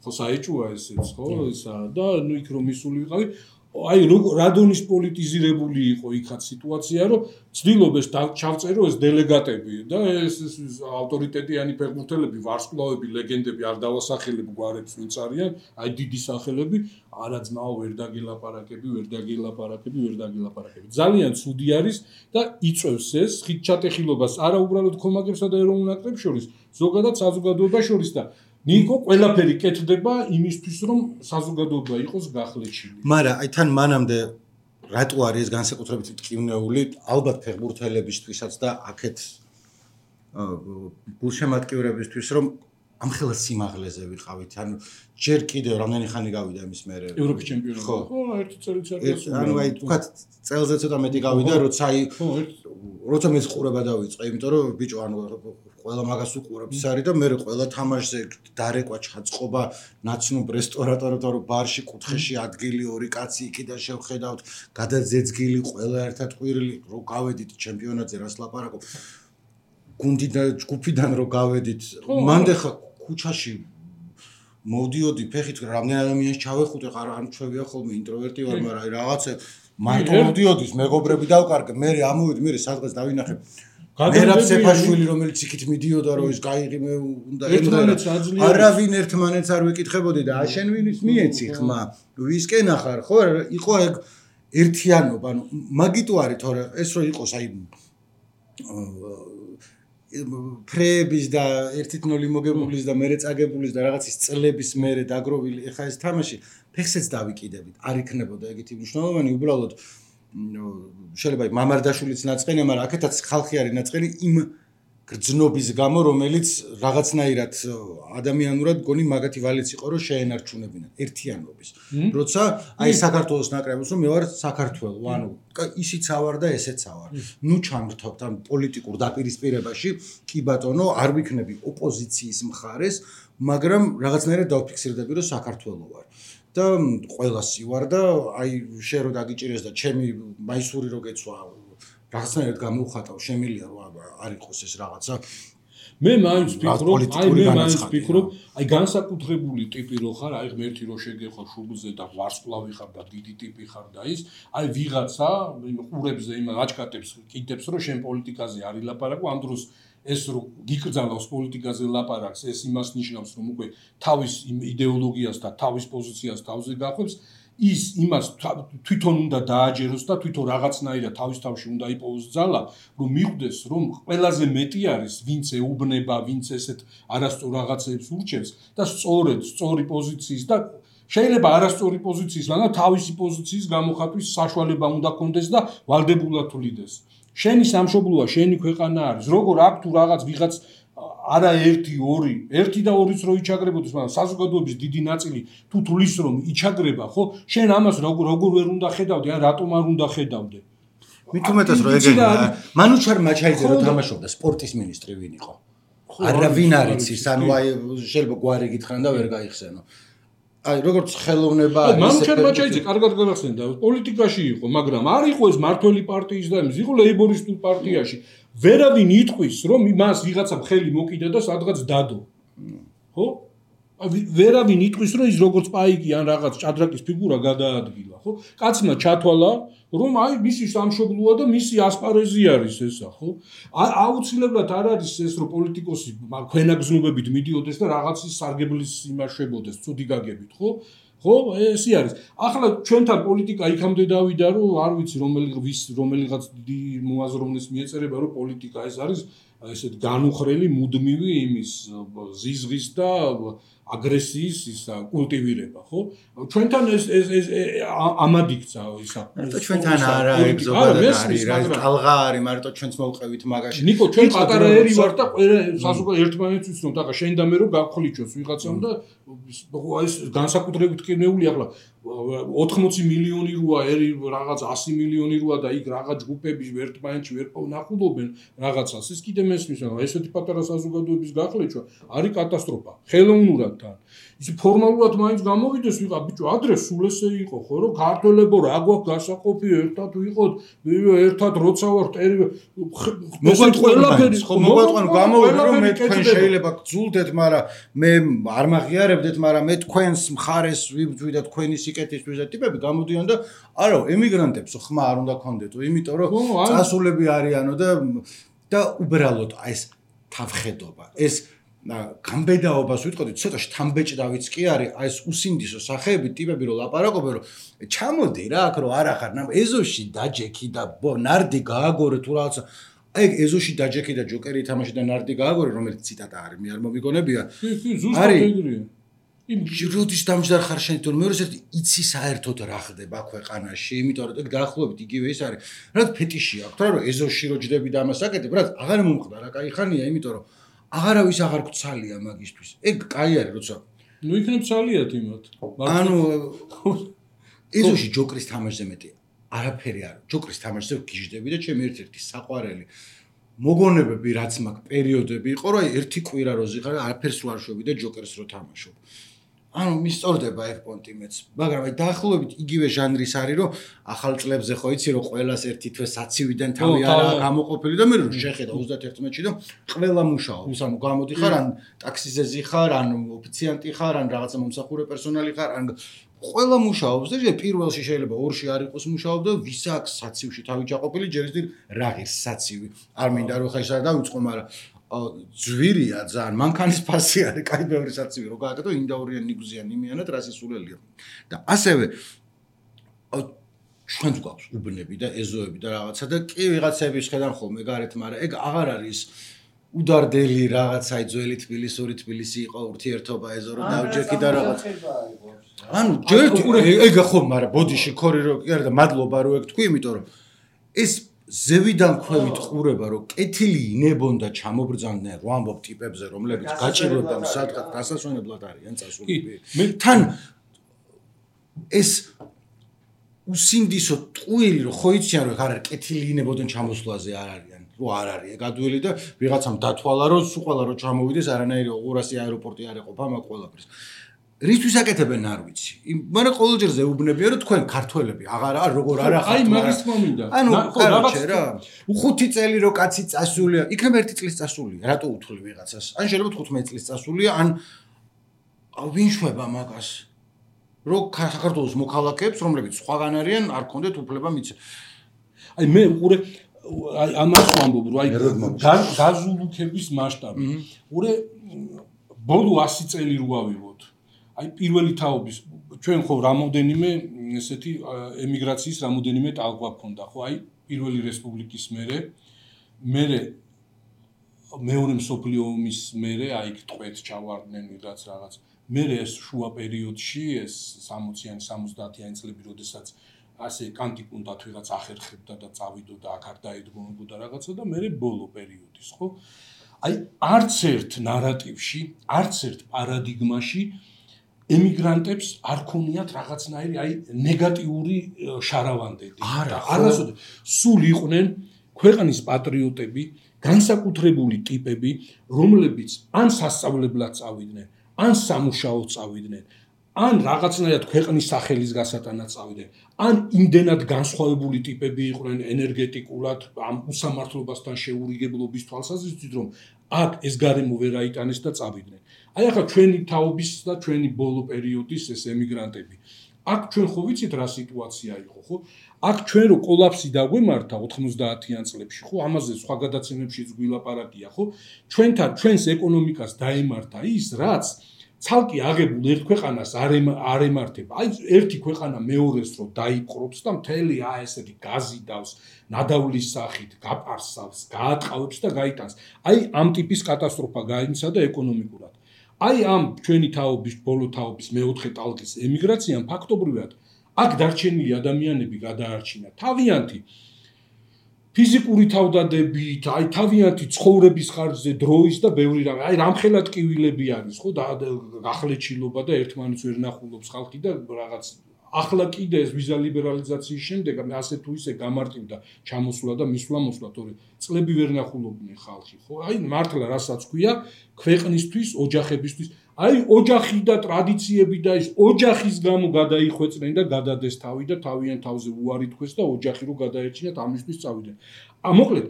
ხო საეჭვოა ესეც ხო ისა და ნუ იქ რომ მისული ვიყავი აი რადონის პოლიტიზირებული იყო იქაც სიტუაცია რომ ცდილობეს ჩავწერო ეს დელეგატები და ეს ავტორიტეტიანი ფეხბურთელები ვარსკვლავები ლეგენდები არ დავასახელებ გვარებს ვინც არიან აი დიდი სახელები არა ძმაო ვერ დაგილაპარაკები ძალიან ცუდი არის და იწევს ეს ხიდჩატეხილობას არა უბრალოდ კომაგებსა და ეროვნულ ნაკრებს შორის ზოგადად საზოგადოებას შორის და ნიკო ყველაფერი კეთდება იმისთვის რომ საზოგადოება იყოს გახლეჩილი. მაგრამ აი თან მანამდე რატო არის ეს განსაკუთრებით მტკივნეული ალბათ ფეხბურთელებისთვისაც და აქეთ გულშემატკივრებისთვის რომ ამხელა სიმაღლეზე ვიყავით. ანუ ჯერ კიდევ რამდენი ხანი გავიდა იმის მერე ევროპის ჩემპიონატი. ხო, ერთი წელიწადი. ანუ აი თქვათ წელზე ცოტა მეტი გავიდა, როცა აი როცა მე ყურება დავიწყე, იმიტომ რომ ბიჭო ანუ ყველა მაგას უყურებს არის და მე ყველა თამაშზე დარეკვა ჩაწყობა ნაცნობ რესტორატორებთან რომ ბარში კუთხეში ადგილი ორი კაცი იქიდან შევხედავთ გადაძეძგილი ყველა ერთად ყვირილი რო გავედით ჩემპიონატზე რას ლაპარაკობ გუნდიდან ჯგუფიდან რო გავედით მანდ ხა ქუჩაში მოვდიოდი ფეხით რამდენი ადამიანს ჩავეხუტე არ ჩვევია ხოლმე ინტროვერტი ვარ მაგრამ აი რაღაცა მარტო მოვდიოდის მეგობრები დავკარგე მე ამოვიდი მე სადღაც დავინახე მერაბ სეფაშვილი რომელიც იქით მიდიოდა რომ ის გაიღიმე უნდა ერთმანეთს აძლიერებს არავინ ერთმანეთს არ ვეკითხებოდი და აშენ ვინის მიეცი ხმა ვისკენ ახარ ხო იყო ეგ ერთიანობა ანუ მაგიტო არის თორე ეს რო იყოს აი ფრეების და 1-0 მოგებულის და მერე წაგებულის და რაღაცის წლების მერე დაგროვილი ეხა ეს თამაში ფეხსეც დავიკიდებით არ იქნებოდა ეგეთი მნიშვნელოვანი უბრალოდ შეიძლება მამარდაშვილიც ნაწყენია, მაგრამ აქეთაც ხალხი არის ნაწყენი იმ გრძნობის გამო, რომელიც რაღაცნაირად ადამიანურად გონი მაგათი ვალიც იყო, რომ შეენარჩუნებინა ერთიანობის. როცა აი საქართველოს ნაკრებს რომ მე ვარ საქართველო, ანუ ისიც ავარ და ესეც ავარ. ნუ ჩამრთავთ ამ პოლიტიკურ დაპირისპირებაში, კი ბატონო, არ ვიქნები ოპოზიციის მხარეს, მაგრამ რაღაცნაირად დავფიქსირდები, რომ საქართველო ვარ. და ყველასი ვარ და აი შენ რო დაგიჭირეს და ჩემი მაისური რო გეცვა რაღაცნაირად გამოვხატავ შემილია რომ არ იყოს ეს რაღაცა მე მაინც ვფიქრობ აი განსაკუთრებული ტიპი რო ხარ აი ღმერთი რო შეგეხო შუბლზე და ვარსკვლავი ხარ და დიდი ტიპი ხარ და ის აი ვიღაცა ყურებზე იმ აჭკატებს კიდებს რომ შენ პოლიტიკაზე არ ილაპარაკო ამ დროს ეს რომ გიკრძალავს პოლიტიკაზე ლაპარაკს ეს იმას ნიშნავს რომ უკვე თავის იდეოლოგიას და თავის პოზიციას თავზე გახვევს ის იმას თვითონ უნდა დააჯეროს და თვითონ რაღაცნაირად თავის თავში უნდა იპოვოს ძალა რომ მიხვდეს რომ ყველაზე მეტი არის ვინც ეუბნება ვინც ესეთ არასწორ რაღაცებს ურჩევს და სწორი პოზიციის და შეიძლება არასწორი პოზიციის მაგრამ თავისი პოზიციის გამოხატვის საშუალება უნდა კონდეს და ვალდებულად თulides შენი სამშობლოა, შენი ქვეყანა არის. როგორ აქ თუ რაღაც ვიღაც არა 1 და 2-ს რო იჩაგრებოდეს, მაგრამ საზოგადოების დიდი ნაწილი თუ თulis რომ იჩაგრება, ხო? შენ ამას როგორ ვერ უნდა ხედავდე, ან რატომ არ უნდა ხედავდე? მით უმეტეს რომ ეგენია მანუჩარ მაჩაიძე რო თამაშობდა სპორტის მინისტრი ვინ იყო არავინ არ იცის ანუ აი შეიძლება გვარი გითხრან და ვერ გაიხსენო აი როგორც ხელოვნება არის მანუჩარ მაჩაიძე კარგად გახსენდა პოლიტიკაში იყო მაგრამ არ იყო ეს მართველი პარტიის და ის იყო ლეიბორისტულ პარტიაში ვერავინ იტყვის რომ მას ვიღაცა ხელი მოკიდა და სადღაც დადო ხო ვერავინ იტყვის რომ ის როგორც პაიკი ან რაღაც ჭადრაკის ფიგურა გადაადგილა ხო კაცმა ჩათვალა რომ აი მისი სამშობლოა და მისი ასპარეზი არის ესა ხო აუცილებლად არ არის ეს რომ პოლიტიკოსი ქვენაგზნობებით მიდიოდეს და რაღაცის სარგებლის იმაშებოდეს ცუდი გაგებით ხო ესე არის ახლა ჩვენთან პოლიტიკა იქამდე დავიდა რომ არ ვიცი რომელიღაც დიდი მოაზროვნეს მიეწერება რომ პოლიტიკა ეს არის ესეთ განუხრელი მუდმივი იმის ზიზღის და აგრესიის ისა კულტივირება ხო ჩვენთან ეს ამად იქცა ისა ჩვენთან არა ეგზობად არის რა ტალღა არის მარტო ჩვენც მოვყევით მაგაში ნიკო ჩვენ პატარა ერი ვარ და საზოგადოება ერთმანეთს ვიცნობ და შენ და მე რომ გავხლიჩოს ვიღაცამ და ეს განსაკუთრებით კინეული ახლა 80 მილიონი როა ერი რაღაც 100 მილიონი როა და იქ რაღაც ჯგუფები ერთმანეთში ვერ ნახულობენ რაღაცას ის კიდე მესმის რა ესეთი პატარა საზოგადოების გახლიჩვა არის კატასტროფა ხელოვნურად თან ის ფორმალურად მაინც გამოვიდეს ვიღა ბიჭო ადრე სულ ესე იყო ხო რომ ქართველებო რა გვაქვს გასაყოფი ერთად ვიყოთ ერთად როცა ვარ მოგვეტყვი ხო მოგვეტყვი გამოვიდი რომ მე თქვენ შეიძლება გძულდეთ მაგრამ მე არ მაღიარებდეთ მაგრამ მე თქვენს მხარეს ვიბძვი და თქვენი სიკეთისთვის და ტიპები გამოდიან და არა ემიგრანტებს ხმა არ უნდა ქონდეთო იმიტომ რომ წასულები არიანო და უბრალოდ ეს თავხედობა ეს გამბედაობას ვიტყოდით ცოტა შთამბეჭდავიც კი არის აი ეს უსინდისო სახეები ტიპები რომ ლაპარაკობენ რომ ჩამოდი რა აქ რომ არ ახარ ეზოში დაჯექი და ნარდი გააგორე თუ რაღაცა აი ეზოში დაჯექი და ჯოკერი თამაში და ნარდი გააგორე რომელიც ციტატა არის მე არ მომიგონებია ზუსტად ეგრეა როდის დამჯდარ ხარ შენ თორე მე როდესაც იცი საერთოდ რა ხდება ქვეყანაში იმიტომ რომ ეგ დაახლოებით იგივე ის არის რა ფეტიში აქვს რა რომ ეზოში რო ჯდები და ამას აკეთებ რა აღარ მომხდა რა кай ხანია იმიტომ რომ აღარავის აღარ გცალია მაგისთვის ეგ კაი არის როცა ნუ იქნებ ცალიათ იმათ ანუ ეზოში ჯოკრის თამაშზე მეტი არაფერი არ ჯოკრის თამაშზე გიждები და ჩემი ერთ-ერთი საყვარელი მოგონებები რაც მაქვს პერიოდები იყო რომ ერთი კვირა რო ზიხარ არაფერს რო არ შვები და ჯოკერს რო თამაშობ ანუ მისწორდება ეგ პონტი მეც მაგრამ აი დაახლოებით იგივე ჟანრის არის რომ ახალ წლებზე ხო იცი რომ ყველას ერთი თვე საცივიდან თავი არა გამოყოფილი და მე რომ შეხედა 31-ში და ყველა მუშაობს ანუ გამოდიხარ ან ტაქსიზე ზიხარ ან ოფიციანტი ხარ ან რაღაცა მომსახურე პერსონალი ხარ ან ყველა მუშაობს და პირველში შეიძლება ორში არ იყოს მუშაობდა ვის აქვს საცივში თავი ჩაყოფილი ჯერ ისე რა ღირს საცივი არ მინდა რომ ხა ის არ დავიწყო მაგრამ ძვირია ძალიან მანქანის ფასი არის კაი ბევრი საცივი რო გააკეთო ინდაურიან ნიგზიან იმიანად რასისულელია და ასევე ჩვენც გვაქვს უბნები და ეზოები და რაღაცა და კი ვიღაცები შედან ხოლმე გარეთ მაგრამ ეგ აღარ არის უდარდელი რაღაცა ძველი თბილისური თბილისი იყო ურთიერთობა ეზო რო დავჯექი და რაღაცა ანუ ჯერ ეგ ხო მაგრამ ბოდიში ქორი რო კი არა და მადლობა რო ეგ თქვი იმიტომ რომ ეს ზევიდან ქვევით ყურება რომ კეთილი ინებონდა ჩამობრძანდნენ რო ამბობ ტიპებზე რომლებიც გაჭირვებამ სადღაც დასასვენებლად არიან წასულები თან ეს უსინდისო ტყუილი რო ხო იციან რომ არ არის კეთილი ინებოდნენ ჩამოსვლაზე არ არიან რო არ არის ეგ ადვილი და ვიღაცამ დათვალა რომ სულ ყველა რო ჩამოვიდეს არანაირი 200 აეროპორტი არ ეყოფა მაგ ყველაფერს რისთვის აკეთებენ არ ვიცი მაგრამ ყოველჯერ ზეუბნებია რომ თქვენ ქართველები აღარ როგორ არ ახართ აი მაგის მომინდა ანუ კაროჩე რა 5 წელი რო კაცი წასულია იქნებ 1 წლის წასულია რატო უთვლი ვიღაცას ან შეიძლება 15 წლის წასულია ან ვინ შვება მაგას რო საქართველოს მოქალაქეებს რომლებიც სხვაგან არიან არ კონდეთ უფლება მიცე აი მე უყურე აი ამას ვამბობ რომ აი გაზულუქების მასშტაბი უყურე ბოლო 100 წელი რო ავიღოთ აი პირველი თაობის ჩვენ ხო რამოდენიმე ესეთი ემიგრაციის რამოდენიმე ტალღა გქონდა ხო აი პირველი რესპუბლიკის მერე მეორე მსოფლიო ომის მერე აი ტყვეთ ჩავარდნენ ვიღაც რაღაც მერე ეს შუა პერიოდში ეს 60-იანი 70-იანი წლები როდესაც ასე კანტიკუნდათ ვიღაც ახერხებდა და წავიდოდა აქ არ დაედგომებოდა რაღაცა და მერე ბოლო პერიოდის ხო აი არც ერთ ნარატივში არც ერთ პარადიგმაში ემიგრანტებს არ ქონიათ რაღაცნაირი აი ნეგატიური შარავანდები. არასოდეს სულ იყვნენ ქვეყნის პატრიოტები, განსაკუთრებული ტიპები, რომლებიც ან სასწავლებლად წავიდნენ, ან სამუშაოდ წავიდნენ, ან რაღაცნაირად ქვეყნის სახელის გასატანად წავიდნენ, ან იმდენად განსხვავებული ტიპები იყვნენ ენერგეტიკულად, ამ უსამართლობასთან შეურიგებლობის თვალსაზრისით, რომ აქ ეს გარემო ვერ აიტანეს და წავიდნენ. აი ახლა ჩვენი თაობის და ჩვენი ბოლო პერიოდის ეს ემიგრანტები. აქ ჩვენ ხო ვიცით რა სიტუაცია იყო, ხო? აქ ჩვენ რო კოლაფსი დაგვემართა 90-იან წლებში, ხო? ამაზე სხვა გადაცემებშიც გვილაპარაკია, ხო? ჩვენს ეკონომიკას დაემართა ის, რაც ცალკე აღებულ ერთ ქვეყანას არ ემართება. აი ერთი ქვეყანა მეორეს რო დაიპყრობს და მთელი ესეთი გაზი დავს, ნადავლის სახით, გაპარსავს, გაატყავებს და გაიტანს. აი ამ ტიპის კატასტროფა გაიმცა და ეკონომიკურად. აი ამ ჩვენი თაობის, ბოლო თაობის მეოთხე ტალღის ემიგრაციამ ფაქტობრივად აქ დარჩენილი ადამიანები გადაარჩინა თავიანთი ფიზიკური თავდადებით, აი თავიანთი ცხოვრების ხარჯზე, დროის და ბევრი რამე. აი რამხელა ტკივილები არის, ხო, გახლეჩილობა და ერთმანეთს ვერ ნახულობს ხალხი და რაღაც ახლა კიდე ეს ვიზა ლიბერალიზაციის შემდეგ ასე თუ ისე გამარტივდა ჩამოსვლა და მისვლა-მოსვლა, თორე წლები ვერ ნახულობდნენ ხალხი, ხო? აი მართლა რასაც ქვია, ქვეყნისთვის, ოჯახებისთვის, აი ოჯახი და ტრადიციები და ის ოჯახის გამო გადაიხვეწნენ და გადადეს თავი და თავიანთ თავზე უარი თქვეს და ოჯახი რო გადაერჩინათ ამისთვის წავიდნენ. მოკლედ,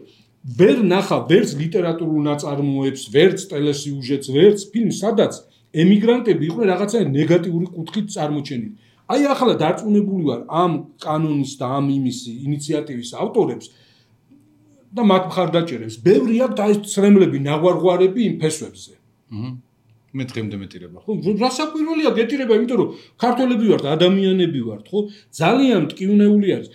ვერ ნახა ვერც ლიტერატურულ ნაწარმოებს, ვერც ტელესიუჟეტს, ვერც ფილმს, სადაც ემიგრანტები იყვნენ რაღაცა ნეგატიური კუთხით წარმოჩენილი. აი ახლა დარწმუნებული ვარ ამ კანონის და ამ ინიციატივის ავტორებს და მათ მხარდაჭერებს. ბევრი აქვს და ეს ცრემლები, ნაღვარღვარები იმ ფესვებზე. მე დღემდე მეტირება. ხო, რასაკვირველია გეტირება, იმიტომ რომ ქართველები ვართ, ადამიანები ვართ, ხო? ძალიან მტკივნეული არის.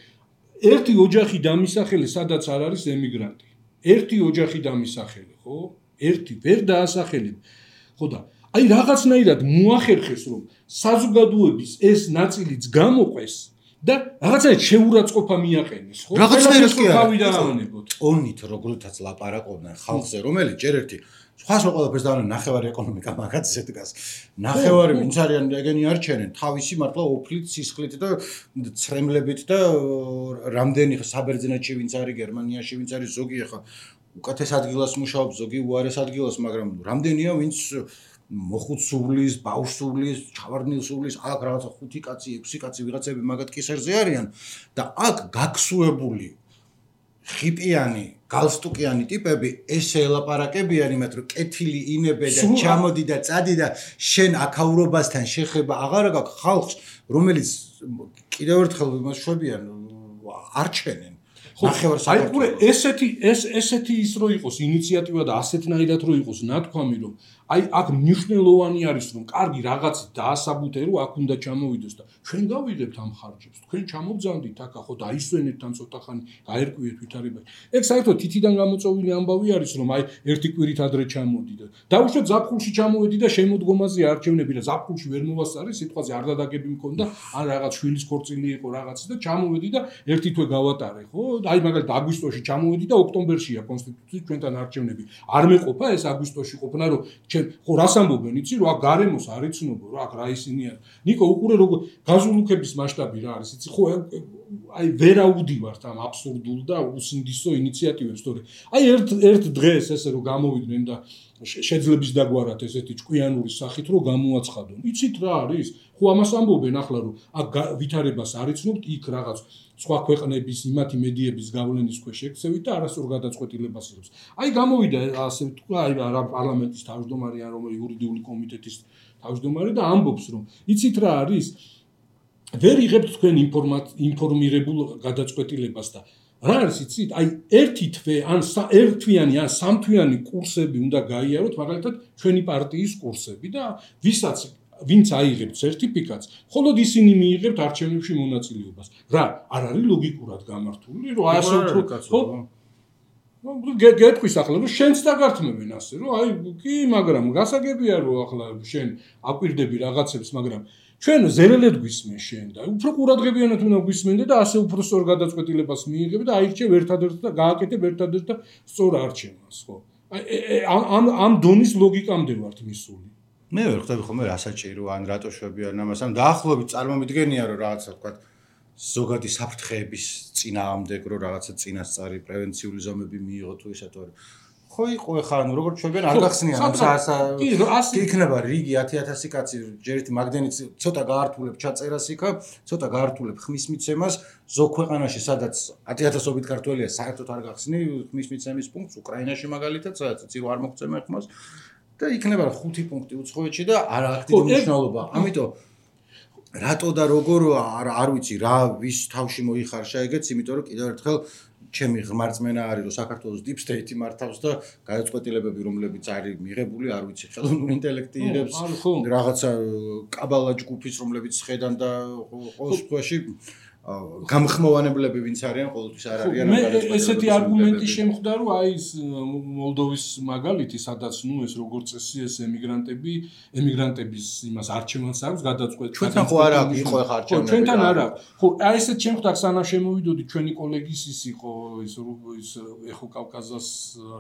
ერთი ოჯახი დამისახელი, სადაც არ არის ემიგრანტი. ერთი ოჯახი დამისახელი, ხო? ერთი ვერ დაასახელებ. ხო და აი რაღაცნაირად მოახერხეს, რომ საზოგადოების ეს ნაწილიც გამოყვეს და რაღაცნაირად შეურაცხყოფა მიაყენეს, ხო? რაღაცნაირად კი არა. ტონით როგორთაც ლაპარაკობდნენ ხალხზე, რომელიც ჯერ ერთი სხვას რო ყველაფერს დავანა ნახევარი ეკონომიკა მაგაც ისე დგას. ნახევარი ვინც არიან ეგენი არჩენენ, თავისი მართლა ოფლით, სისხლით და ცრემლებით და რამდენი საბერძნეთში ვინც არის, გერმანიაში ვინც არის, ზოგი ახლა უკეთეს ადგილას მუშაობს, ზოგი უარეს ადგილას, მაგრამ რამდენია ვინც მოხუცსულის, ბავშვსულის, ჩავარდნილსულის, აქ რაღაცა 5 კაცი, 6 კაცი ვიღაცები მაგათ კისერზე არიან და აქ გაქსუებული ხიპიანი, გალსტუკიანი ტიპები ესე ელაპარაკებიან იმათ, რომ კეთილი ინებე და ჩამოდი და წადი და შენ აქაურობასთან შეხება აღარ გაქვს ხალხს, რომელიც კიდევ ერთხელ იმას შვებიან არჩენენ. ნახევარ საქართველოს. ესეთი ის რო იყოს ინიციატივა და ასეთნაირად რო იყოს ნათქვამი, რომ აი აქ მნიშვნელოვანი არის, რომ კარგი რაღაცით დაასაბუთე, რომ აქ უნდა ჩამოვიდოს და ჩვენ გავიღებთ ამ ხარჯებს. თქვენ ჩამოგძანდით აქ, ხო, დაისვენეთ თან ცოტა ხანი, გაერკვიეთ ვითარებაში. ეგ საერთოდ თითიდან გამოწვეული ამბავი არის, რომ აი ერთი კვირით ადრე ჩამოდი და დაუშვათ ზაფხულში ჩამოვედი და შემოდგომაზე არჩევნები და ზაფხულში ვერ მოვასწარი, სიტყვაზე არ დადაგები მქონდა, ან რაღაც შვილის ქორწილი იყო რაღაცა და ჩამოვედი და ერთი თვე გავატარე, ხო? აი მაგალითად აგვისტოში ჩამოვედი და ოქტომბერშია კონსტიტუციის ჩვენთან არჩევნები. არ მეყოფა ეს აგვისტოში ყოფნა, რომ ხო რას ამბობენ, იცი, რომ აქ გარემოს არ იცნობო, რა აქ რა ისინი არის. ნიკო, უყურე როგორ გაზულუქების მასშტაბი რა არის, იცი, ხო აი ვერ აუდივართ ამ აბსურდულ და უსინდისო ინიციატივებს, თორე აი ერთ დღეს ესე რომ გამოვიდნენ და შეძლებს დაგვარათ ესეთი ჭკვიანური სახით რომ გამოაცხადონ. იცით რა არის? ხო ამას ამბობენ ახლა რომ აქ ვითარებას არ იცნობთ, იქ რაღაც სხვა ქვეყნების იმათი მედიების გავლენის ქვეშ ექცევით და არასწორ გადაწყვეტილებას იღებს. აი გამოვიდა ასე თქვა, აი რა პარლამენტის თავმჯდომარე ან რომელი იურიდიული კომიტეტის თავმჯდომარე და ამბობს რომ იცით რა არის? ვერ იღებთ თქვენ ინფორმირებულ გადაწყვეტილებას და რა არის იცით? აი ერთი თვე ან ერთთვიანი ან სამთვიანი კურსები უნდა გაიაროთ, მაგალითად ჩვენი პარტიის კურსები და ვინც აიღებთ სერტიფიკატს, მხოლოდ ისინი მიიღებთ არჩევნებში მონაწილეობას. რა, არ არის ლოგიკურად გამართული, რომ ასე უფრო ხო? გეტყვის ახლა რომ შენც დაგართმევენ ასე, რომ აი კი, მაგრამ გასაგებია რომ ახლა შენ აკვირდები რაღაცებს, მაგრამ ჩვენ ზერელედ გვისმენ შენ და უფრო ყურადღებიანად უნდა გვისმენდე და ასე უფრო სწორ გადაწყვეტილებას მიიღებ და აირჩევ ერთადერთ და გააკეთებ ერთადერთ და სწორ არჩევანს, ხო? ამ დონის ლოგიკამდე ვართ მისული. მე ვერ ხვდები ხოლმე რა საჭირო ან რატო შვებიან ამას ან დაახლოებით წარმომიდგენია რომ რაღაცა თქვა ზოგადი საფრთხეების წინააღმდეგ რომ რაღაცა წინასწარი პრევენციული ზომები მიიღო თუ ისე თუ ხო იყო ხა ანუ როგორც ჩვენგან არ გახსნიან კი იქნება რიგი 10000 კაცი ჯერით მაგდენიც ცოტა გაართულებ ჩაწერას იქა ცოტა გაართულებ ხმის მიცემას ზოგ ქვეყანაში სადაც 10000-ობით ქართველია საერთოდ არ გახსნი ხმის მიცემის პუნქტს უკრაინაში მაგალითად სადაც ცირო არ მოგწემა ხმას და იქნება 5 პუნქტი უცხოეთში და არა აქტიური მნიშვნელობა ამიტომ რატო და როგორ არ ვიცი რა ვის თავში მოიხარშა ეგეც იმიტომ რომ კიდევ ერთხელ ჩემი ღმერთმენა არის რომ საქართველოს deep state მართავს და გადაწყვეტილებები რომლებიც არის მიღებული არ ვიცი ხელოვნური ინტელექტი იღებს რაღაცა კაბალა ჯგუფის რომლებიც ხედან და ყოველ შემთხვევაში გამხმოვანებლები ვინც არიან ყოველთვის არ არიან მე ესეთი არგუმენტი შემხვდა რომ აი ეს მოლდოვის მაგალითი სადაც ნუ ეს როგორც წესი ეს ემიგრანტების იმას არჩევანს აქვს გადაწყვეტილი ჩვენთან ხო არ აქვს იყო ხა არჩევნები ჩვენთან არ აქვს ხო აი ესეთ შემხვდა სანამ შემოვიდოდი ჩვენი კოლეგის ის იყო ის ეხო კავკასიის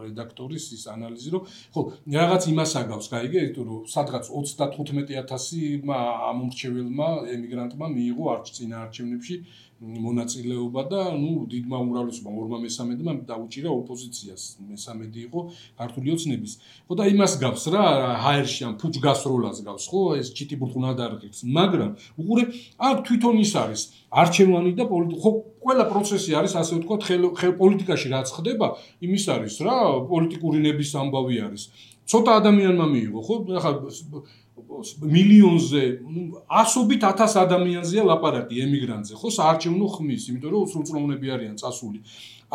რედაქტორის ის ანალიზი რომ ხო რაღაც იმას აგავს გაიგე რომ სადღაც 35000 ამომრჩეველმა ემიგრანტმა მიიღო წინა არჩევნებში მონაწილეობა და ნუ დიდმა უმრავლესობამ 2/3-მა დაუჭირა ოპოზიციას მესამედი იყო ქართული ოცნების ხო და იმას გავს რა ჰაერში ან ფუჭგასროლას გავს ხო ეს ჩიტიბურღუნა დარღებს მაგრამ უყურე აქ თვითონ ის არის არჩევანი და ხო ყველა პროცესი არის ასე ვთქვათ პოლიტიკაში რაც ხდება იმის არის რა პოლიტიკური ნების ამბავი არის ცოტა ადამიანმა მიიღო ხო ახლა მილიონზე ასობით 1000 ადამიანზეა ლაპარაკი ემიგრანტზე ხო საარჩევნო ხმის იმიტომ რომ სრულწლოვნები არიან წასული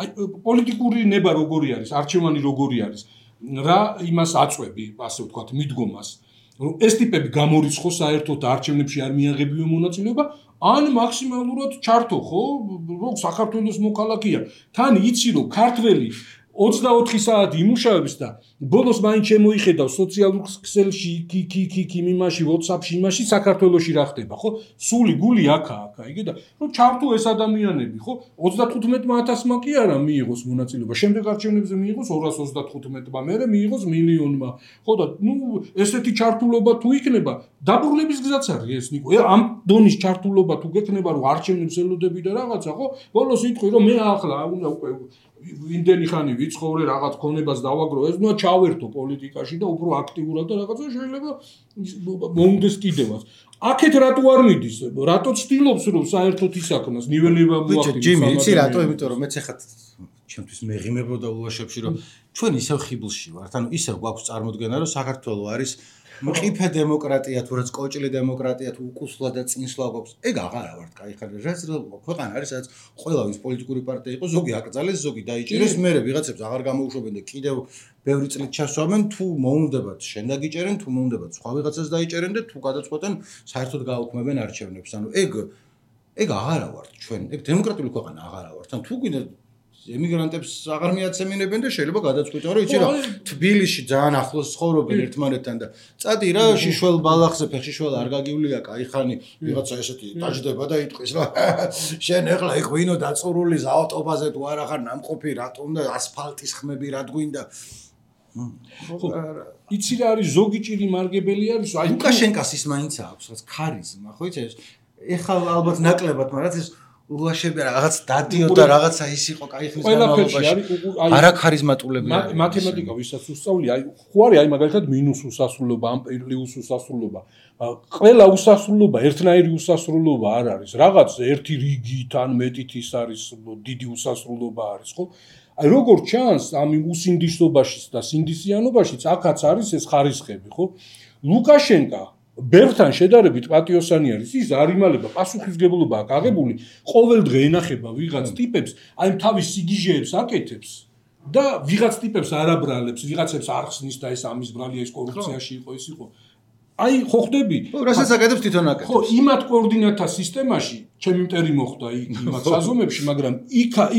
აი პოლიტიკური ნება როგორი არის არჩევანი როგორი არის რა იმას აწვევი ასე ვთქვათ მიდგომას რომ ეს ტიპები გამორიცხო საერთოდ არჩევნებში არ მიაღებიო მონაწილეობა ან მაქსიმალურად ჩართო ხო რომ საქართველოს მოქალაქეა თან იცი რომ ქართველი 24 საათი იმუშავებს და ბოლოს მაინც შემოიხედავ სოციალურ ქსელში კი იმაში WhatsApp-ში იმაში საქართველოში რა ხდება ხო სული გული აქა იგე და რომ ჩართო ეს ადამიანები ხო 35000-მა კი არა მიიღოს მონაწილეობა შემდეგ არჩევნებზე მიიღოს 235-მა მერე მიიღოს მილიონმა ხო და ნუ ესეთი ჩართულობა თუ იქნება დაბრუნების გზაც არის ეს ნიკო ამ დონის ჩართულობა თუ გექნება რომ არჩევნებს ელოდები და რაღაცა ხო ბოლოს იტყვი რომ მე ახლა უნდა უკვე იმდენი ხანი ვიცხოვრე რაღაც ქონებას დავაგრო ეს ნუ ჩავერთო პოლიტიკაში და უფრო აქტიურად და რაღაცა შეიძლება მომდეს კიდევაც აქეთ რატო არ მიდის რატო ცდილობს რომ საერთოდ ისაქნას ნიველება მოახდინოს ჯიმი იცი რატო იმიტომ რომ მეც ახლა ჩემთვის მეღიმებოდა ულაშებში რომ ჩვენ ისევ ხიბლში ვართ ანუ ისევ გვაქვს წარმოდგენა რომ საქართველოს არის მყიფე დემოკრატია თუ რაც კოჭლი დემოკრატია თუ უკუსლა და წინსვლა გვაქვს ეგ აღარა ვართ კაი ხარ რაც ქვეყანა არის სადაც ყველავის პოლიტიკური პარტია იყო ზოგი აკრძალეს ზოგი დაიჭერეს მერე ვიღაცებს აღარ გამოუშვებენ და კიდევ ბევრი წლით ჩასვამენ თუ მოუნდებათ შენ დაგიჭერენ თუ მოუნდებათ სხვა ვიღაცას დაიჭერენ და თუ გადაწყვეტენ საერთოდ გააუქმებენ არჩევნებს ანუ ეგ აღარა ვართ ჩვენ ეგ დემოკრატიული ქვეყანა აღარა ვართ ან თუ გვინდა ემიგრანტებს აღარ მიაცემინებენ და შეიძლება გადაწყვიტონ რომ იცი რა თბილისში ძალიან ახლოს ცხოვრობენ ერთმანეთთან და წადი რა შიშველ ბალახზე ფეხშიშველ არ გაგივლია კაი ხანი ვიღაცა ესეთი დაждდება და იტყვის რა შენ ეხლა იქ ვინო დაწურული ავტობაზე თუ არ ახარ ნამყოფი რატომ და ასფალტის ხმები რა გვინდა იცი რა არის ზოგი ჭირი მარგებელი არის აი ლუკაშენკას ის მაინც აქვს რაც ქარიზმა ხო იცი ეხლა ალბათ ნაკლებად მაგრამ ეს ულაშები რაღაც დადიო და რაღაცა ის იყო კაი ხნის განმავლობაში არა ქარიზმატულები მათემატიკა ვისაც უსწავლი აი ხო არის აი მაგალითად მინუს უსასრულობა ამ პლიუს უსასრულობა ყველა უსასრულობა ერთნაირი უსასრულობა არ არის რაღაც ერთი რიგით ან მეტით ის არის დიდი უსასრულობა არის ხო აი როგორ ჩანს ამ უსინდისობაშიც და სინდისიანობაშიც აქაც არის ეს ხარისხები ხო ლუკაშენკა ბერთან შედარებით პატიოსანი არის ის არ იმალება პასუხისგებლობა აქვს აღებული ყოველ დღე ენახება ვიღაც ტიპებს აი თავის სიგიჟეებს აკეთებს და ვიღაც ტიპებს არაბრალებს ვიღაცებს არ ხსნის და ეს ამის ბრალია ის კორუფციაში იყო ის იყო აი ხო ხდები რასაც აკეთებს თვითონ აკეთებს ხო იმათ კოორდინატთა სისტემაში ჩემი მტერი მოხდა იმათ საზომებში მაგრამ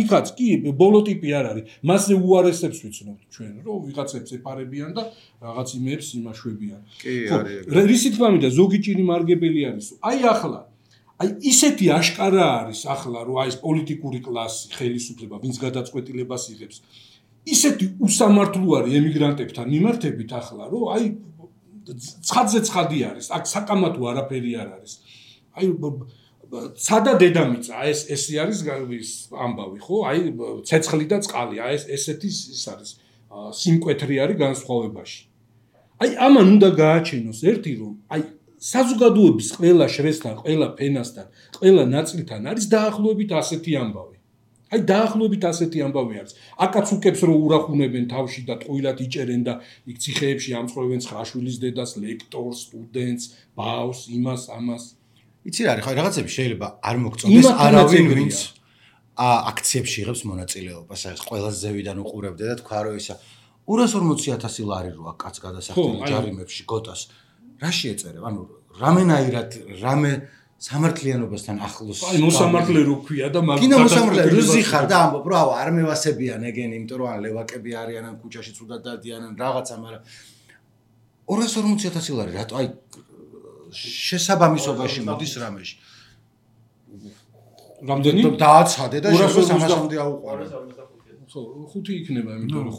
იქაც კი ბოლო ტიპი არ არის მასზე უარესებს ვიცნობთ ჩვენ რომ ვიღაცებს ეპარებიან და რაღაც იმებს იმაშვებიან კი არის რისი თქმა მინდა ზოგი ჭირი მარგებელი არის აი ახლა აი ისეთი აშკარა არის ახლა რომ აი ეს პოლიტიკური კლასი ხელისუფლება ვინც გადაწყვეტილებას იღებს ისეთი უსამართლო არის ემიგრანტებთან მიმართებით ახლა რომ აი ცხადზე ცხადი არის, აქ საკამათო არაფერი არ არის. აი სადა დედამიწა, ეს არის ამბავი, ხო? აი ცეცხლი და წყალი, აი ესეთი ის არის სიმკვეთრი არის განსხვავებაში. აი ამან უნდა გააჩენოს ერთი რომ აი საზოგადოების ყველა შრესთან, ყველა ფენასთან, ყველა ნაწილთან არის დაახლოებით ასეთი ამბავი. აი დაახლოებით ასეთი ამბავი არის. აკაც უკებს რომ ურახუნებენ თავში და ტყუილად იჭერენ და იქ ციხეებში ამწყობენ 9 შვილის დედას, ლექტორს, სტუდენტს, ბავშვს, იმას, ამას. იცი რა არის, ხო რაღაცები შეიძლება არ მოგწონდეს არავინ ვინც აქციებში იღებს მონაწილეობას, აი ყველას ზევიდან უყურებდა და თქვა რომ ისა 240,000 ლარი რო აქ კაც გადასახდელი ჯარიმებში გოტას რა შეეწერებ? ანუ რამენაირად რამე სამართლიანობასთან ახლოს. აი მოსამართლე რო ქვია და მაგ კიდე მოსამართლე როზი ხარ და ამბობ რა არ მევასებიან ეგენ იმიტომ რომ ან ლევაკები არიან ან ქუჩაში ცუდად დადიან ან რაღაცა, მაგრამ 240,000 ლარი რატო აი შესაბამისობაში მოდის რამეში. რამდენი? დააცადე და შეიძლება 300-მდე აუყარე. ხო, 5 იქნება, იმიტომ რომ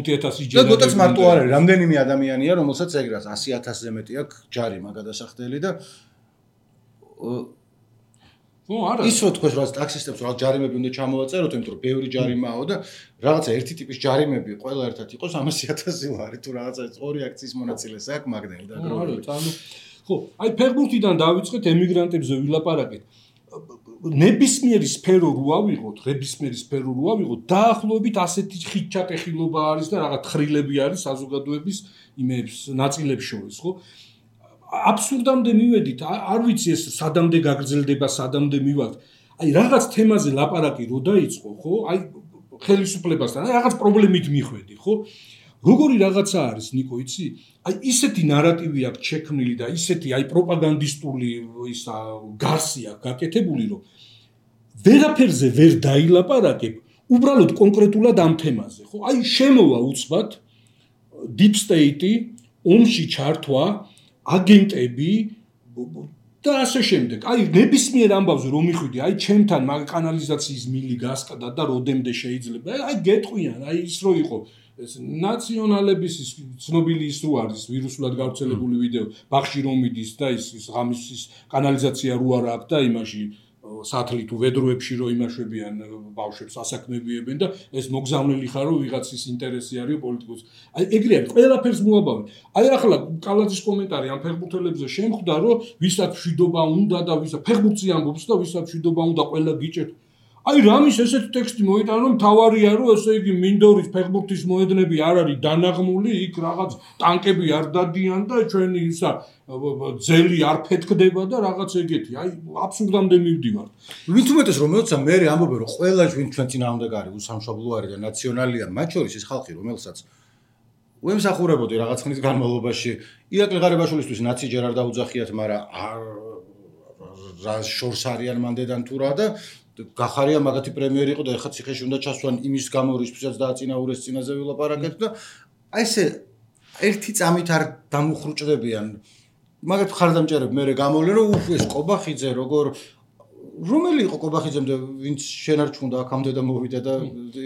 5,000 ჯერ. და გოტაც მარტო არ არის, რამდენიმე ადამიანია, რომელსაც ეგრას 100,000-ზე მეტი აქვს ჯარიმა გადასახდელი და ხო, არა. ის რო თქვენ რა ტაქსისტებს რა ჯარიმები უნდა ჩამოვაწეროთ, იმიტომ რომ ბევრი ჯარიმაა და რაღაცა ერთი ტიპის ჯარიმები ყველა ერთად იყოს 300,000 ლარი თუ რაღაცა ორი აქციის მონაწილეს აქვს მაგდენი და გროვილი. ხო, აი ფეხბურთიდან დავიწყეთ ემიგრანტებზე ვილაპარაკეთ. ნებისმიერი სფერო რო ავიღოთ, ნებისმიერი სფერო რო ავიღოთ, დაახლოებით ასეთი ხიჩატეხილობა არის და რაღაც ხრილები არის საზოგადოების იმებს ნაწილებს შორის, ხო? აბსურდამდე მივედით, არ ვიცი ეს სადამდე გაგრძელდება, სადამდე მივაქვს. აი რაღაც თემაზე ლაპარაკი რო დაიწყო, ხო? აი ხელისუფლებასთან, აი რაღაც პრობლემით მიხვედი, ხო? როგორი რაღაცა არის, ნიკო, იცი? აი ისეთი ნარატივი აქვს შექმნილი და ისეთი აი პროპაგანდისტული ისა გარსი აქვს გაკეთებული, რომ ვერაფერზე ვერ დაილაპარაკებ, უბრალოდ კონკრეტულად ამ თემაზე, ხო? აი შემოვა უცბად deep state-ი, ომში ჩართვა, აგენტები და ასე შემდეგ. აი ნებისმიერ ამბავზე რომ მიხვიდი, აი ჩემთან მაგ კანალიზაციის მილი გასკდა და როდემდე შეიძლება, აი გეტყვიან, აი ის რო იყო ეს ნაციონალების ის ცნობილი ის რო არის ვირუსულად გავრცელებული ვიდეო ბახში რომ მიდის და ის ღამის ის კანალიზაცია რო არ აქვს და იმაში სათლი თუ ვედროებში რო იმაშვებიან ბავშვებს ასაქმებიებენ და ეს მოგზავნილი ხარ რომ ვიღაცის ინტერესი არის პოლიტიკოს. აი ეგრე არის ყველაფერს მოაბავენ. აი ახლა კალაძის კომენტარი ამ ფეხბურთელებზე შემხვდა რომ ვისაც მშვიდობა უნდა და ვისაც ფეხბურთზე ამბობს და ვისაც მშვიდობა უნდა ყველა გიჭერთ. აი რამის ესეთი ტექსტი მოიტანა რომ თავარია რომ ესე იგი მინდორის ფეხბურთის მოედნები არ არის დანაღმული, იქ რაღაც ტანკები არ დადიან და ჩვენი ისა ძელი არ ფეთქდება და რაღაც ეგეთი. აი აბსურდამდე მივდივარ. ვინც უმეტეს რომ მეოცა მე ამბობენ რომ ყველა ვინ ჩვენ წინააღმდეგ არის უსამშობლო არის და ნაციონალია, მათ შორის ის ხალხი რომელსაც უემსახურებოდი რაღაც ხნის განმავლობაში ირაკლი ღარიბაშვილისთვის ნაცი ჯერ არ დაუძახიათ, მაგრამ რა შორს არიან მანდედან თუ რა და გახარია მაგათი პრემიერი იყო და ეხლა ციხეში უნდა ჩასვან იმის გამო რისთვისაც დააწინაურეს წინაზე ვილაპარაკეთ და აი ესე ერთი წამით არ დამუხრუჭდებიან მაგათ ხარდამჭერებ მე გამოვლენ რომ ეს ყობახიძე როგორ რომელი იყო ყობახიძემდე ვინც შენარჩუნდა აქამდე და მოვიდა და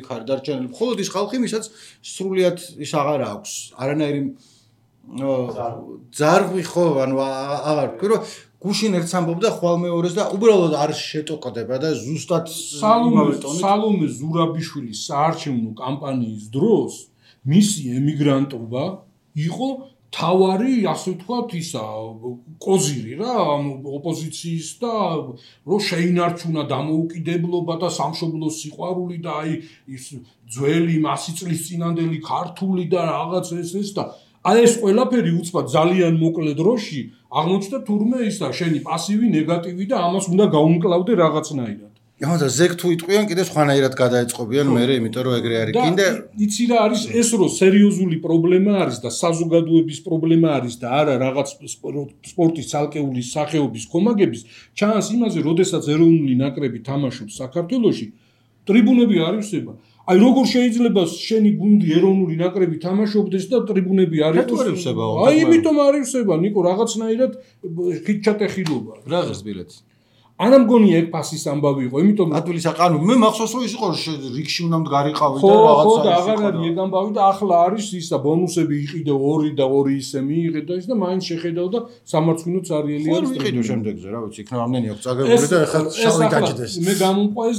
იქ არის დარჩენილი მხოლოდ ის ხალხი ვისაც სრულიად ის აღარ აქვს არანაირი ძარღვი ხო ანუ აღარ ვთქვი რომ გუშინ ერთს ამბობდა ხვალ მეორეს და უბრალოდ არ შეტოკდება და ზუსტად სალომე ზურაბიშვილის საარჩევნო კამპანიის დროს მისი ემიგრანტობა იყო თავარი, ასე ვთქვათ, ისა კოზირი რა, ოპოზიციის და რომ შეინარჩუნა დამოუკიდებლობა და სამშობლოს სიყვარული და აი ის ძველი 100 წლის წინანდელი ქართული და რაღაც ეს და აი ეს ყველაფერი უცბად ძალიან მოკლე დროში აღმოჩნდა თურმე ისა შენი პასივი ნეგატივი და ამას უნდა გაუმკლავდე რაღაცნაირად. და ზეგ თუ იტყვიან კიდე სხვანაირად გადაეწყობიან მე იმიტომ რომ ეგრე არის კიდე იცი რა არის ეს რომ სერიოზული პრობლემა არის და საზოგადოების პრობლემა არის და არა რაღაც სპორტის ცალკეული სახეობის კომაგების ჩანს იმაზე როდესაც ეროვნული ნაკრები თამაშობს საქართველოში ტრიბუნები არ ივსება აი როგორ შეიძლება შენი გუნდი ეროვნული ნაკრები თამაშობდეს და ტრიბუნები არ იყოს აი იმიტომ არ ივსება ნიკო რაღაცნაირად ხიჩატეხილობა რა ღირს ბილეთი არა მგონია ეგ ფასის ამბავი იყო, იმიტომ რომ ადვილის აყანო მე მახსოვს რომ ის იყო რიგში უნდა მდგარიყავი და რაღაცა. ხო და აღარ არის ეგ ამბავი და ახლა არის ისა ბონუსები იყიდე 2 და 2 ისე მიიღე და ის და მაინც შეხედავ და სამარცხვინოც არიელი არის. ხო ვიყიდო შემდეგზე რა ვიცი, იქნებ ამდენი აქვს წაგებული და ეხლა შავი გაჭდეს. მე გამომყვა ეს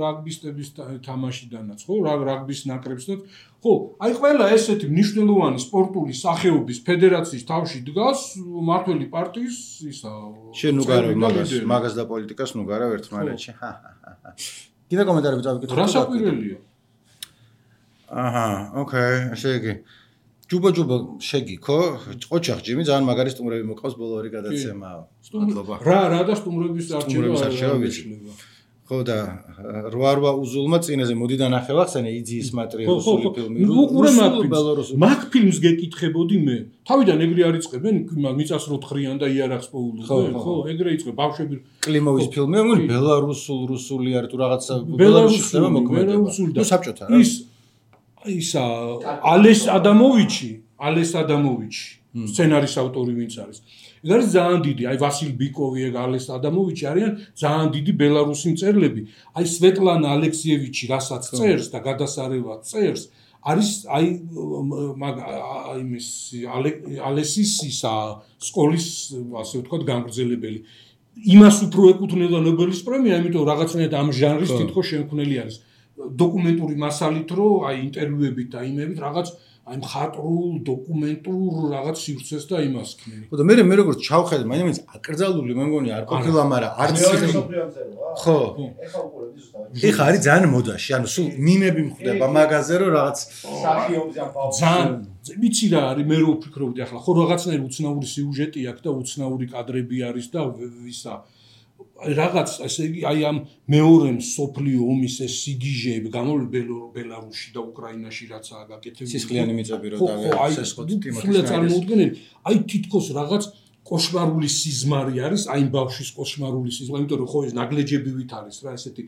რაგბისტების თამაშიდანაც, ხო, რაგბის ნაკრებსაც. ხო, აი ყველა ესეთი მნიშვნელოვანი სპორტული სახეობის ფედერაციის თავში დგას მართველი პარტიის ისა შენ უგარავ მაგას და პოლიტიკას ნუგარავ ერთმანეთში. კიდე კომენტარები წავიკითხო. რა საკვირველია? აჰა, ოკეი, ესე იგი. ჯუბა შეგიქო, ყოჩახ ჯიმი ძალიან მაგარი სტუმრები მოყავს ბოლო ორი გადაცემა. მადლობა. რა და სტუმრების არჩევა ვიცი. ხო და 8 უზულმა წინაზე მოდი დანახე ვახსენე იძიის მატრიოსული ფილმი. უყურე მაგ ფილმს გეკითხებოდი მე. თავიდან ეგრე არიწყებენ მიწას როთხრიან და იარაღს პოულობენ, ხო, ეგრე იწყებ ბავშვები. კლიმოვის ფილმი, მგონი ბელარუსული არის თუ რაღაცა ბელარუსში ხდება მოქმედება. ნუ საბჭოთა რა. ისა ალეს ადამოვიჩი სცენარის ავტორი ვინც არის. ეს არის ძალიან დიდი, აი ვასილ ბიკოვი, ეგ ალეს ადამოვიჩი არიან ძალიან დიდი ბელარუსი მწერლები. აი სვეტლანა ალექსიევიჩი, რასაც წერს და გადასარევად წერს, არის აი იმის ალესის ისა სკოლის, ასე ვთქვათ, გამგრძელებელი. იმას უფრო ეკუთვნება ნობელის პრემია, იმიტომ რაღაცნაირად ამ ჟანრის თითქოს შემქმნელი არის. დოკუმენტური მასალით რო აი ინტერვიუებით და იმებით რაღაც აი მხატვრულ დოკუმენტურ რაღაც სივრცეს და იმას ქნენი. ხო და მე როგორც ჩავხედე, მაინც აკრძალული მე მგონი არ ყოფილა, მაგრამ არც ხო. ეხა უყურებდი ზუსტად. ეხა არის ძალიან მოდაში, ანუ სულ მიმები მხვდება მაგაზე რომ რაღაც სახიობზე ამ ბავშვს ძალიან ვიცი რა არის მე რო ვფიქრობდი ახლა ხო რაღაცნაირი უცნაური სიუჟეტი აქვს და უცნაური კადრები არის და ისა რაღაც ესე იგი აი ამ მეორე მსოფლიო ომის ეს სიგიჟეები გამოვლენ ბელარუსში და უკრაინაში რაცაა გაკეთებული. სისხლიანი მიწები რო დავესესხოთ თიმოთის წარმოუდგენელი. აი თითქოს რაღაც კოშმარული სიზმარი არის, აი ამ ბავშვის კოშმარული სიზმარი, იმიტომ რომ ხო ეს ნაგლეჯებივით არის რა ესეთი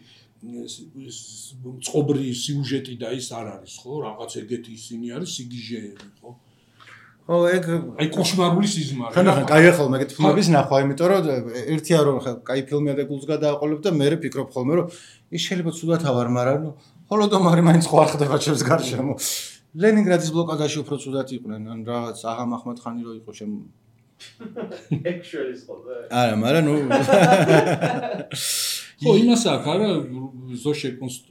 წყობრი სიუჟეტი და ის არ არის ხო რაღაც ეგეთი ისინი არის სიგიჟეები ხო. ხო ეგ აი კოშმარული სიზმარი. ხან კაია ხოლმე ეგეთ ფილმების ნახვა, იმიტომ რომ ერთია რომ კაი ფილმია და გულს გადააყოლებ და მე ვფიქრობ ხოლმე რომ ის შეიძლება ცუდად ავარ, მაგრამ ნუ ჰოლოდომარი მაინც ხო არ ხდება ჩემს გარშემო. ლენინგრადის ბლოკადაში უფრო ცუდად იყვნენ, ან რაღაც აღამ ახმედხანი რო იყო შემ actually ხოლმე. არა, მაგრამ ნუ ხო იმას აქვს არა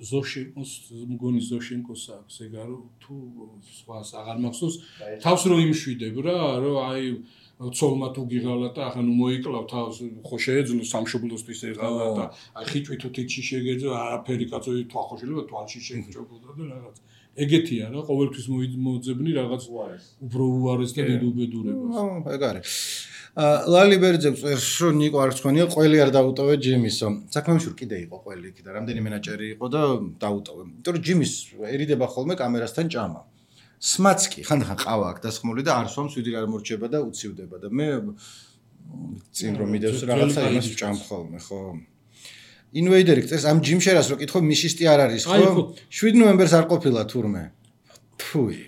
ზოშენკოს მგონი ზოშენკოს აქვს ეგ არა თუ სხვას აღარ მახსოვს თავს რო იმშვიდებ რა რომ აი ცოლმა თუ გიღალა და ახლა ნუ მოიკლავ თავს ხო შეეძლო სამშობლოსთვის եղალა და აი ხიჭვი თუ თიჩი შეგეძო არაფერი კაცო თვა ხო შეიძლება თვალში შეჭობოდა და რაღაც ეგეთია რა ყოველთვის მოძებნი რაღაც უფრო უარეს და დიდ უბედურებას ეგ არის ლალიბერძე წერს რომ ნიკო არ თქვენია ყველი არ დაუტოვე ჯიმისო საქმეში კიდე იყო ყველი იქ და რამდენი მენაჯერი იყო და დაუტოვე იმიტომ რომ ჯიმის ერიდება ხოლმე კამერასთან ჭამა სმაცკი ხანდახან ყავა აქვს დასხმული და არ სვამს ვიდი არ მორჩება და უცივდება და მე წინ რომ მიდევს რაღაცა იმას ვჭამ ხოლმე ხო ინვეიდერი წერს ამ ჯიმშერას რო კითხო მიშისტი არ არის ხო 7 ნოემბერს არ ყოფილა თურმე ფუი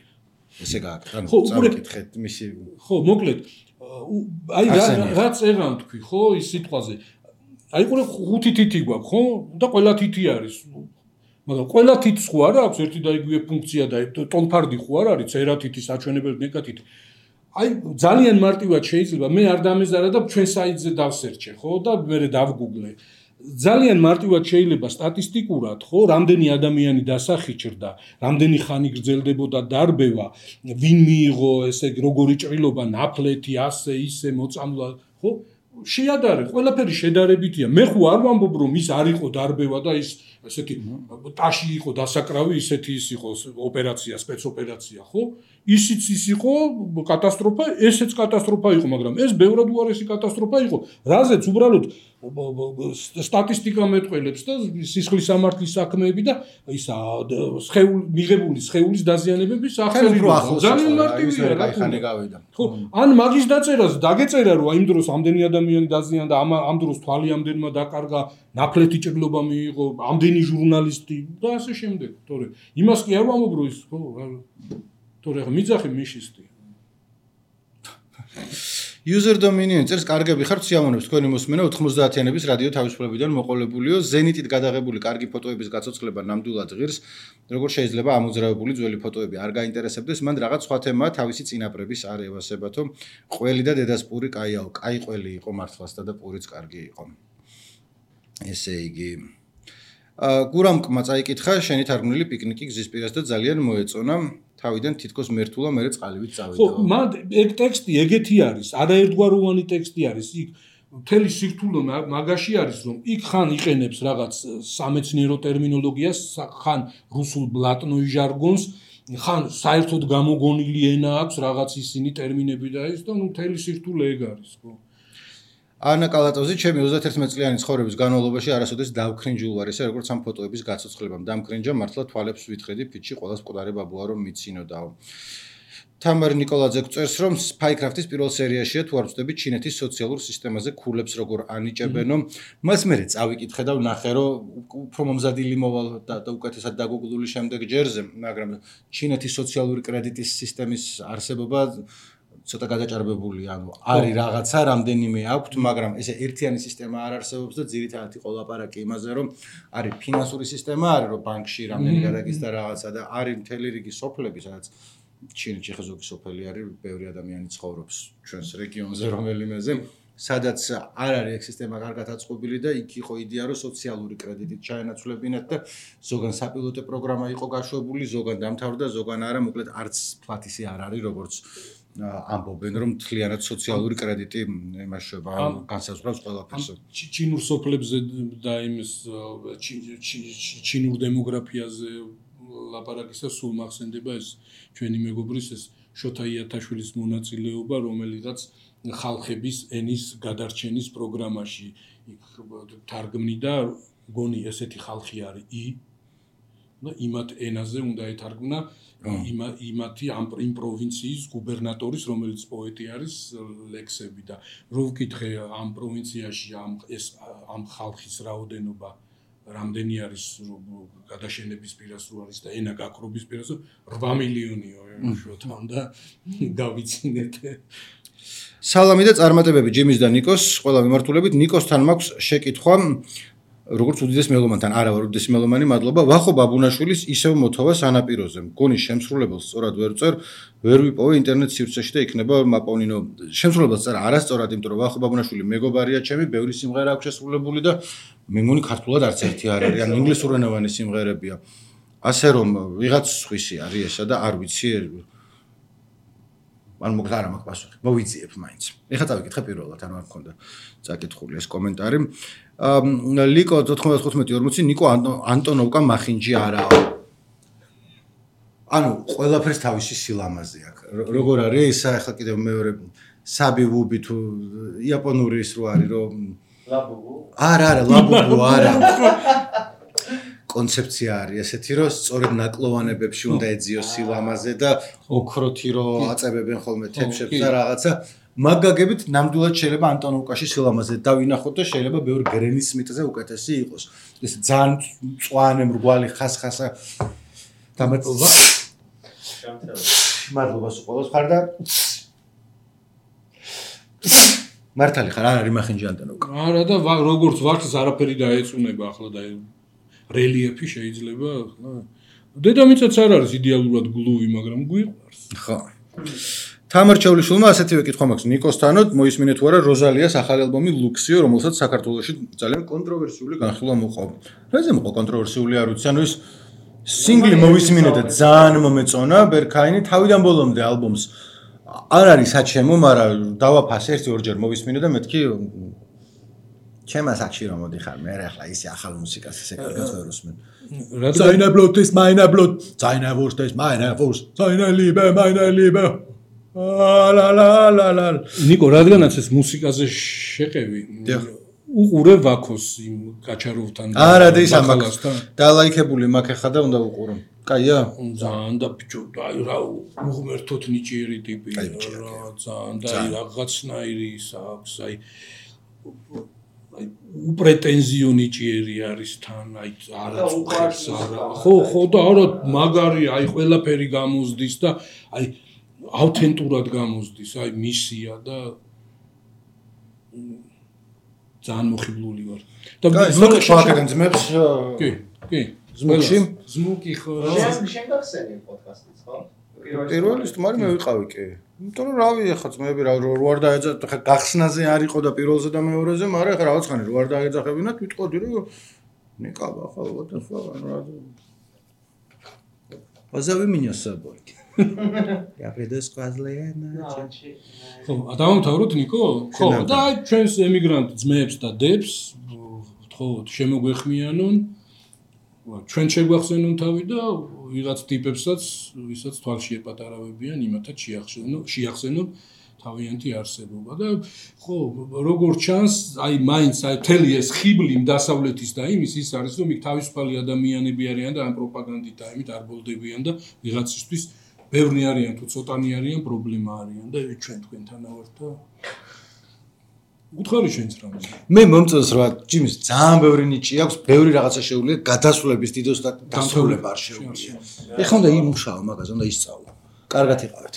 ესე გააკეთე ანუ წავიკითხეთ მისი ხო მოკლედ აი რაც ეგრან თქვი ხო ის სიტყვაზე აი ყურე 5 თითი გვაქვს ხო და ყველა თითი არის მაგრამ ყველა თითს ხო არ აქვს ერთი და იგივე ფუნქცია და ტოლფარდი ხო არ არის წერა თითი საჩვენებელი ნეკა თითი აი ძალიან მარტივად შეიძლება მე არ დამეზარა და ჩვენ საიტზე დავსერჩე ხო და მე დავგუგლე ძალიან მარტივად შეიძლება სტატისტიკურად ხო რამდენი ადამიანი დასახიჭრდა რამდენი ხანი გრძელდებოდა დარბევა ვინ მიიღო ესე როგორი ჭრილობა ნაფლეთი ასე ისე მოწამლა ხო შეადარე ყველაფერი შედარებითია მე ხო არ ვამბობ რომ ის არ იყო დარბევა და ის ესეთი ტაში იყო დასაკრავი ისეთი ის იყო ოპერაცია სპეცოპერაცია ხო ისიც ის იყო კატასტროფა ესეც კატასტროფა იყო მაგრამ ეს ბევრად უარესი კატასტროფა იყო რაზეც უბრალოდ სტატისტიკა მეტყველებს და სისხლის სამართლის საქმეები და ისა მიღებული სხეულის დაზიანებების აღწერა ძალიან მარტივია რა ხანი გავიდა ხო ან მაგის დაწერას დაგეწერა რომ იმ დროს ამდენი ადამიანი დაზიანდა ამ დროს თვალი ამდენმა დაკარგა ნაფლეთი ჭრილობა მიიღო ამდენი ჟურნალისტი და ასე შემდეგ თორე იმას კი არ ვამბობ რომ ის ხო თორე მიძახი მიშისტი User Dominion წერს კარგები ხართ სიამოვნებს თქვენი მოსმენა 90-იანების რადიო თავისუფლებიდან მოყოლებულიო ზენიტით გადაღებული კარგი ფოტოების გაცოცხლება ნამდვილად ღირს როგორ შეიძლება ამოძრავებული ძველი ფოტოები არ გაინტერესებდეს მან რაღაც სხვა თემაა თავისი წინაპრების არ ევასებათო ყველი და დედას პური კაიაო კაი ყველი იყო მართლასთან და პურიც კარგი იყო ესე იგი გურამკმა წაიკითხა შენი თარგმნილი პიკნიკი გზის პირას და ძალიან მოეწონა თავიდან თითქოს მერტულა მე წყალივით წავიდა. ხო, მან ეგ ტექსტი ეგეთი არის, არაერთგვაროვანი ტექსტი არის. იქ მთელი სირთულე მაგაში არის, რომ იქ ხან იყენებს რაღაც სამეცნიერო ტერმინოლოგიას, ხან რუსულ ბლატნოი ჟარგონს, ხან საერთოდ გამოგონილი ენა აქვს რაღაც ისინი ტერმინები და ის და ნუ მთელი სირთულე ეგ არის, ხო. ანა კალატოზი ჩემი 31 წლიანი ცხოვრების განმავლობაში არასოდეს დავქრინჯულ ვარ ესე როგორც ამ ფოტოების გაცოცხლებამ დამქრინჯა მართლა თვალებს ვითხედი ფიჩი ყოველს მკვდარი ბაბუა რომ მიცინოდაო თამარ ნიკოლაძე წერს რომ Spycraft-ის პირველ სერიაშია თუ არ ვწდები ჩინეთის სოციალურ სისტემაზე ქულებს როგორ ანიჭებენო მას მე წავიკითხე და ვნახე რომ უფრო მომზადილი მოვალ და უკეთესად დაგუგლული შემდეგ ჯერზე მაგრამ ჩინეთის სოციალური კრედიტის სისტემის არსებობა ცოტა გადაჭარბებული, ანუ არის რაღაცა, რამდენიმე აქვთ, მაგრამ ესე ერთიანი სისტემა არ არსებობს და ძირითადად იყო ლაპარაკი იმაზე, რომ არის ფინანსური სისტემა, არის რომ ბანკში რამდენი გადაგის და რაღაცა და არის მთელი რიგი სოფლები, სადაც ჩინეთში ხეზოგი სოფელი არის, ბევრი ადამიანი ცხოვრობს ჩვენს რეგიონზე, რომელიმეზე, სადაც არ არის ეგ სისტემა კარგად აწყობილი და იქ იყო იდეა, რომ სოციალური კრედიტით ჩაენაცვლებინათ და ზოგან საპილოტო პროგრამა იყო გაშვებული, ზოგან დამთავრდა, ზოგან არა, მოკლედ არც ფლათისი არ არის, როგორც ამბობენ რომ თლიანად სოციალური კრედიტი იმაშება განსაზღვრავს ყველაფერს. ჩინურ სოფლებზე და იმის ჩინურ დემოგრაფიაზე ლაპარაკისას სულ მახსენდება ეს ჩვენი მეგობრის ეს შოთა იათაშვილის მონაწილეობა, რომელიღაც ხალხების ენის გადარჩენის პროგრამაში თარგმნიდა, გონი ესეთი ხალხი არის ი და იმათ ენაზე უნდა ეთარგმნა იმათი იმ პროვინციის გუბერნატორის რომელიც პოეტი არის ლექსები და რო ვკითხე ამ პროვინციაში ამ ხალხის რაოდენობა რამდენი არის გადაშენების პირას რო არის და ენა გაკრობის პირას 8 მილიონიო შოთან და გავიცინეთ სალამი და წარმატებები ჯიმის და ნიკოს ყველა მიმართულებით ნიკოსთან მაქვს შეკითხვა როგორც უდიდეს მელომანთან არა ვარ უდიდეს მელომანი მადლობა ვახო ბაბუნაშვილის ისევ მოთხოვა სანაპიროზე მგონი შემსრულებელს სწორად ვერ წერ ვერ ვიპოვე ინტერნეტ სივრცეში და იქნება მაპოვნინო შემსრულებელს წერა არასწორად იმიტომ რომ ვახო ბაბუნაშვილი მეგობარია ჩემი ბევრი სიმღერა აქვს შესრულებული და მე მგონი ქართულად არც ერთი არ არის ან ინგლისურენოვანი სიმღერებია ასე რომ ვიღაც სხვისი არის ესა და არ ვიცი ან მოკლედ არ მაქვს პასუხი მოვიძიებ მაინც ეხლა წავიკითხე პირველად ანუ არ მქონდა წაკითხული ეს კომენტარი ლიკო 95-40 ნიკო ანტონოვკა მახინჯი არაო ანუ ყველაფერს თავისი სილამაზე აქვს როგორ არის ისა ახლა კიდევ მეორე საბი ვუბი თუ იაპონური ის რო არის რომ ლაბუბუ არა ლაბუბუ არა კონცეფცია არის ესეთი რომ სწორედ ნაკლოვანებებში უნდა ეძიოს სილამაზე და ოქროთი რო აწებებენ ხოლმე თეფშებს და რაღაცა მაგაგებით ნამდვილად შეიძლება ანტონოვკაში სილამაზე დავინახოთ და შეიძლება ბევრი გრენის სმიტზე უკეთესი იყოს ეს ძალიან მწვანე მრგვალი ხასხასა დამატება მადლობა სულ ხარ და მართალი ხარ არ არის მახინჯი ანტონოვკა არა და როგორც ვარცხს არაფერი დაეწუნება ახლა და რელიეფი შეიძლება ახლა დედამიწაც არ არის იდეალურად გლუვი მაგრამ გვიყვარს ხო თამარ ჩავლიშვილმა ასეთივე კითხვა მაქვს ნიკოსთანო მოისმინეთ თუ არა როზალიას ახალი ალბომი ლუქსიო რომელსაც საქართველოში ძალიან კონტროვერსიული განხილვა მოყვა რაზე მოყვა კონტროვერსიული არ ვიცი ანუ ეს სინგლი მოვისმინე და ძალიან მომეწონა ბერქაინი თავიდან ბოლომდე ალბომს არ არის საჩემო მაგრამ დავაფასე ერთი ორჯერ მოვისმინე და მეთქი ჩემს აქში რომ მოდიხარ მე ახლა ისე ახალ მუსიკას ისე კარგად ვერ უსმენ Seine Blut ist meine Blut seine Wurst ist meine Wurst seine Liebe meine Liebe la la la la ნიკო რადგანაც ეს მუსიკაზე შეყევი უყურე ვაქოს იმ კაჩაროვთან არა და ის ამაკს დალაიქებული მაგ ხა და უნდა უყურო კაია ძალიან და ბიჭო აი რა უღმერთოთ ნიჭიერი ტიპი რა ძალიან და აი რაღაცნაირი ის აქვს აი უპრეტენზიო ნიჭიერი არის თან აი არა წუხებს არა ხო და არა მაგარი აი ყველაფერი გამოსდის და აი ავთენტურად გამოსდის აი მისია და ძალიან მოხიბლული ვარ. და ზმუკიდან ძმებს კი. ზმუკი ხო. შენ გახსენე პოდკასტიც, ხო? პირველი სტუმარი მე ვიყავი კი. იმიტომ რომ რავი ახლა ძმები რა არ დაეძახა ხა გახსნაზე არ იყო და პირველზე და მეორეზე, მაგრამ ახლა რაღაც ხანი რო არ დაეძახებინათ ვიტყოდი რომ ნიკაბა ხო და სხვა რა. Позови меня с собой. Я приду с Квазлена. ხო, დავამთავროთ ნიკო? ხო, და ჩვენს ემიგრანტ ძმებს და დებს ხო შემოგვეხმიანონ. ჩვენ შეგვახსენონ თავი და ვიღაც ტიპებსაც, ვისაც თვალში ეპატარავებიან, იმათაც შეახსენონ თავიანთი არსებობა და ხო, როგორ ჩანს, აი მაინც აი თელი ეს ხიბლი დასავლეთის და იმის ის არის, რომ იქ თავისუფალი ადამიანები არიან და ამ პროპაგანდით და იმით არ ბოლდებიან და ვიღაცისთვის ბევრი არიან თუ ცოტანი არიან პრობლემა არიან და ჩვენ თქვენთანა ვართ და უთხარი შენც რა მე მომწონს რა ჯიმის ძალიან ბევრი ნიჭი აქვს, ბევრი რაღაცა შეუძლია გადასვლების დიდოს და დასრულება არ შეუძლია. ეხლა უნდა იმუშაო მაგაზე, უნდა ისწავლო. კარგად იყავით.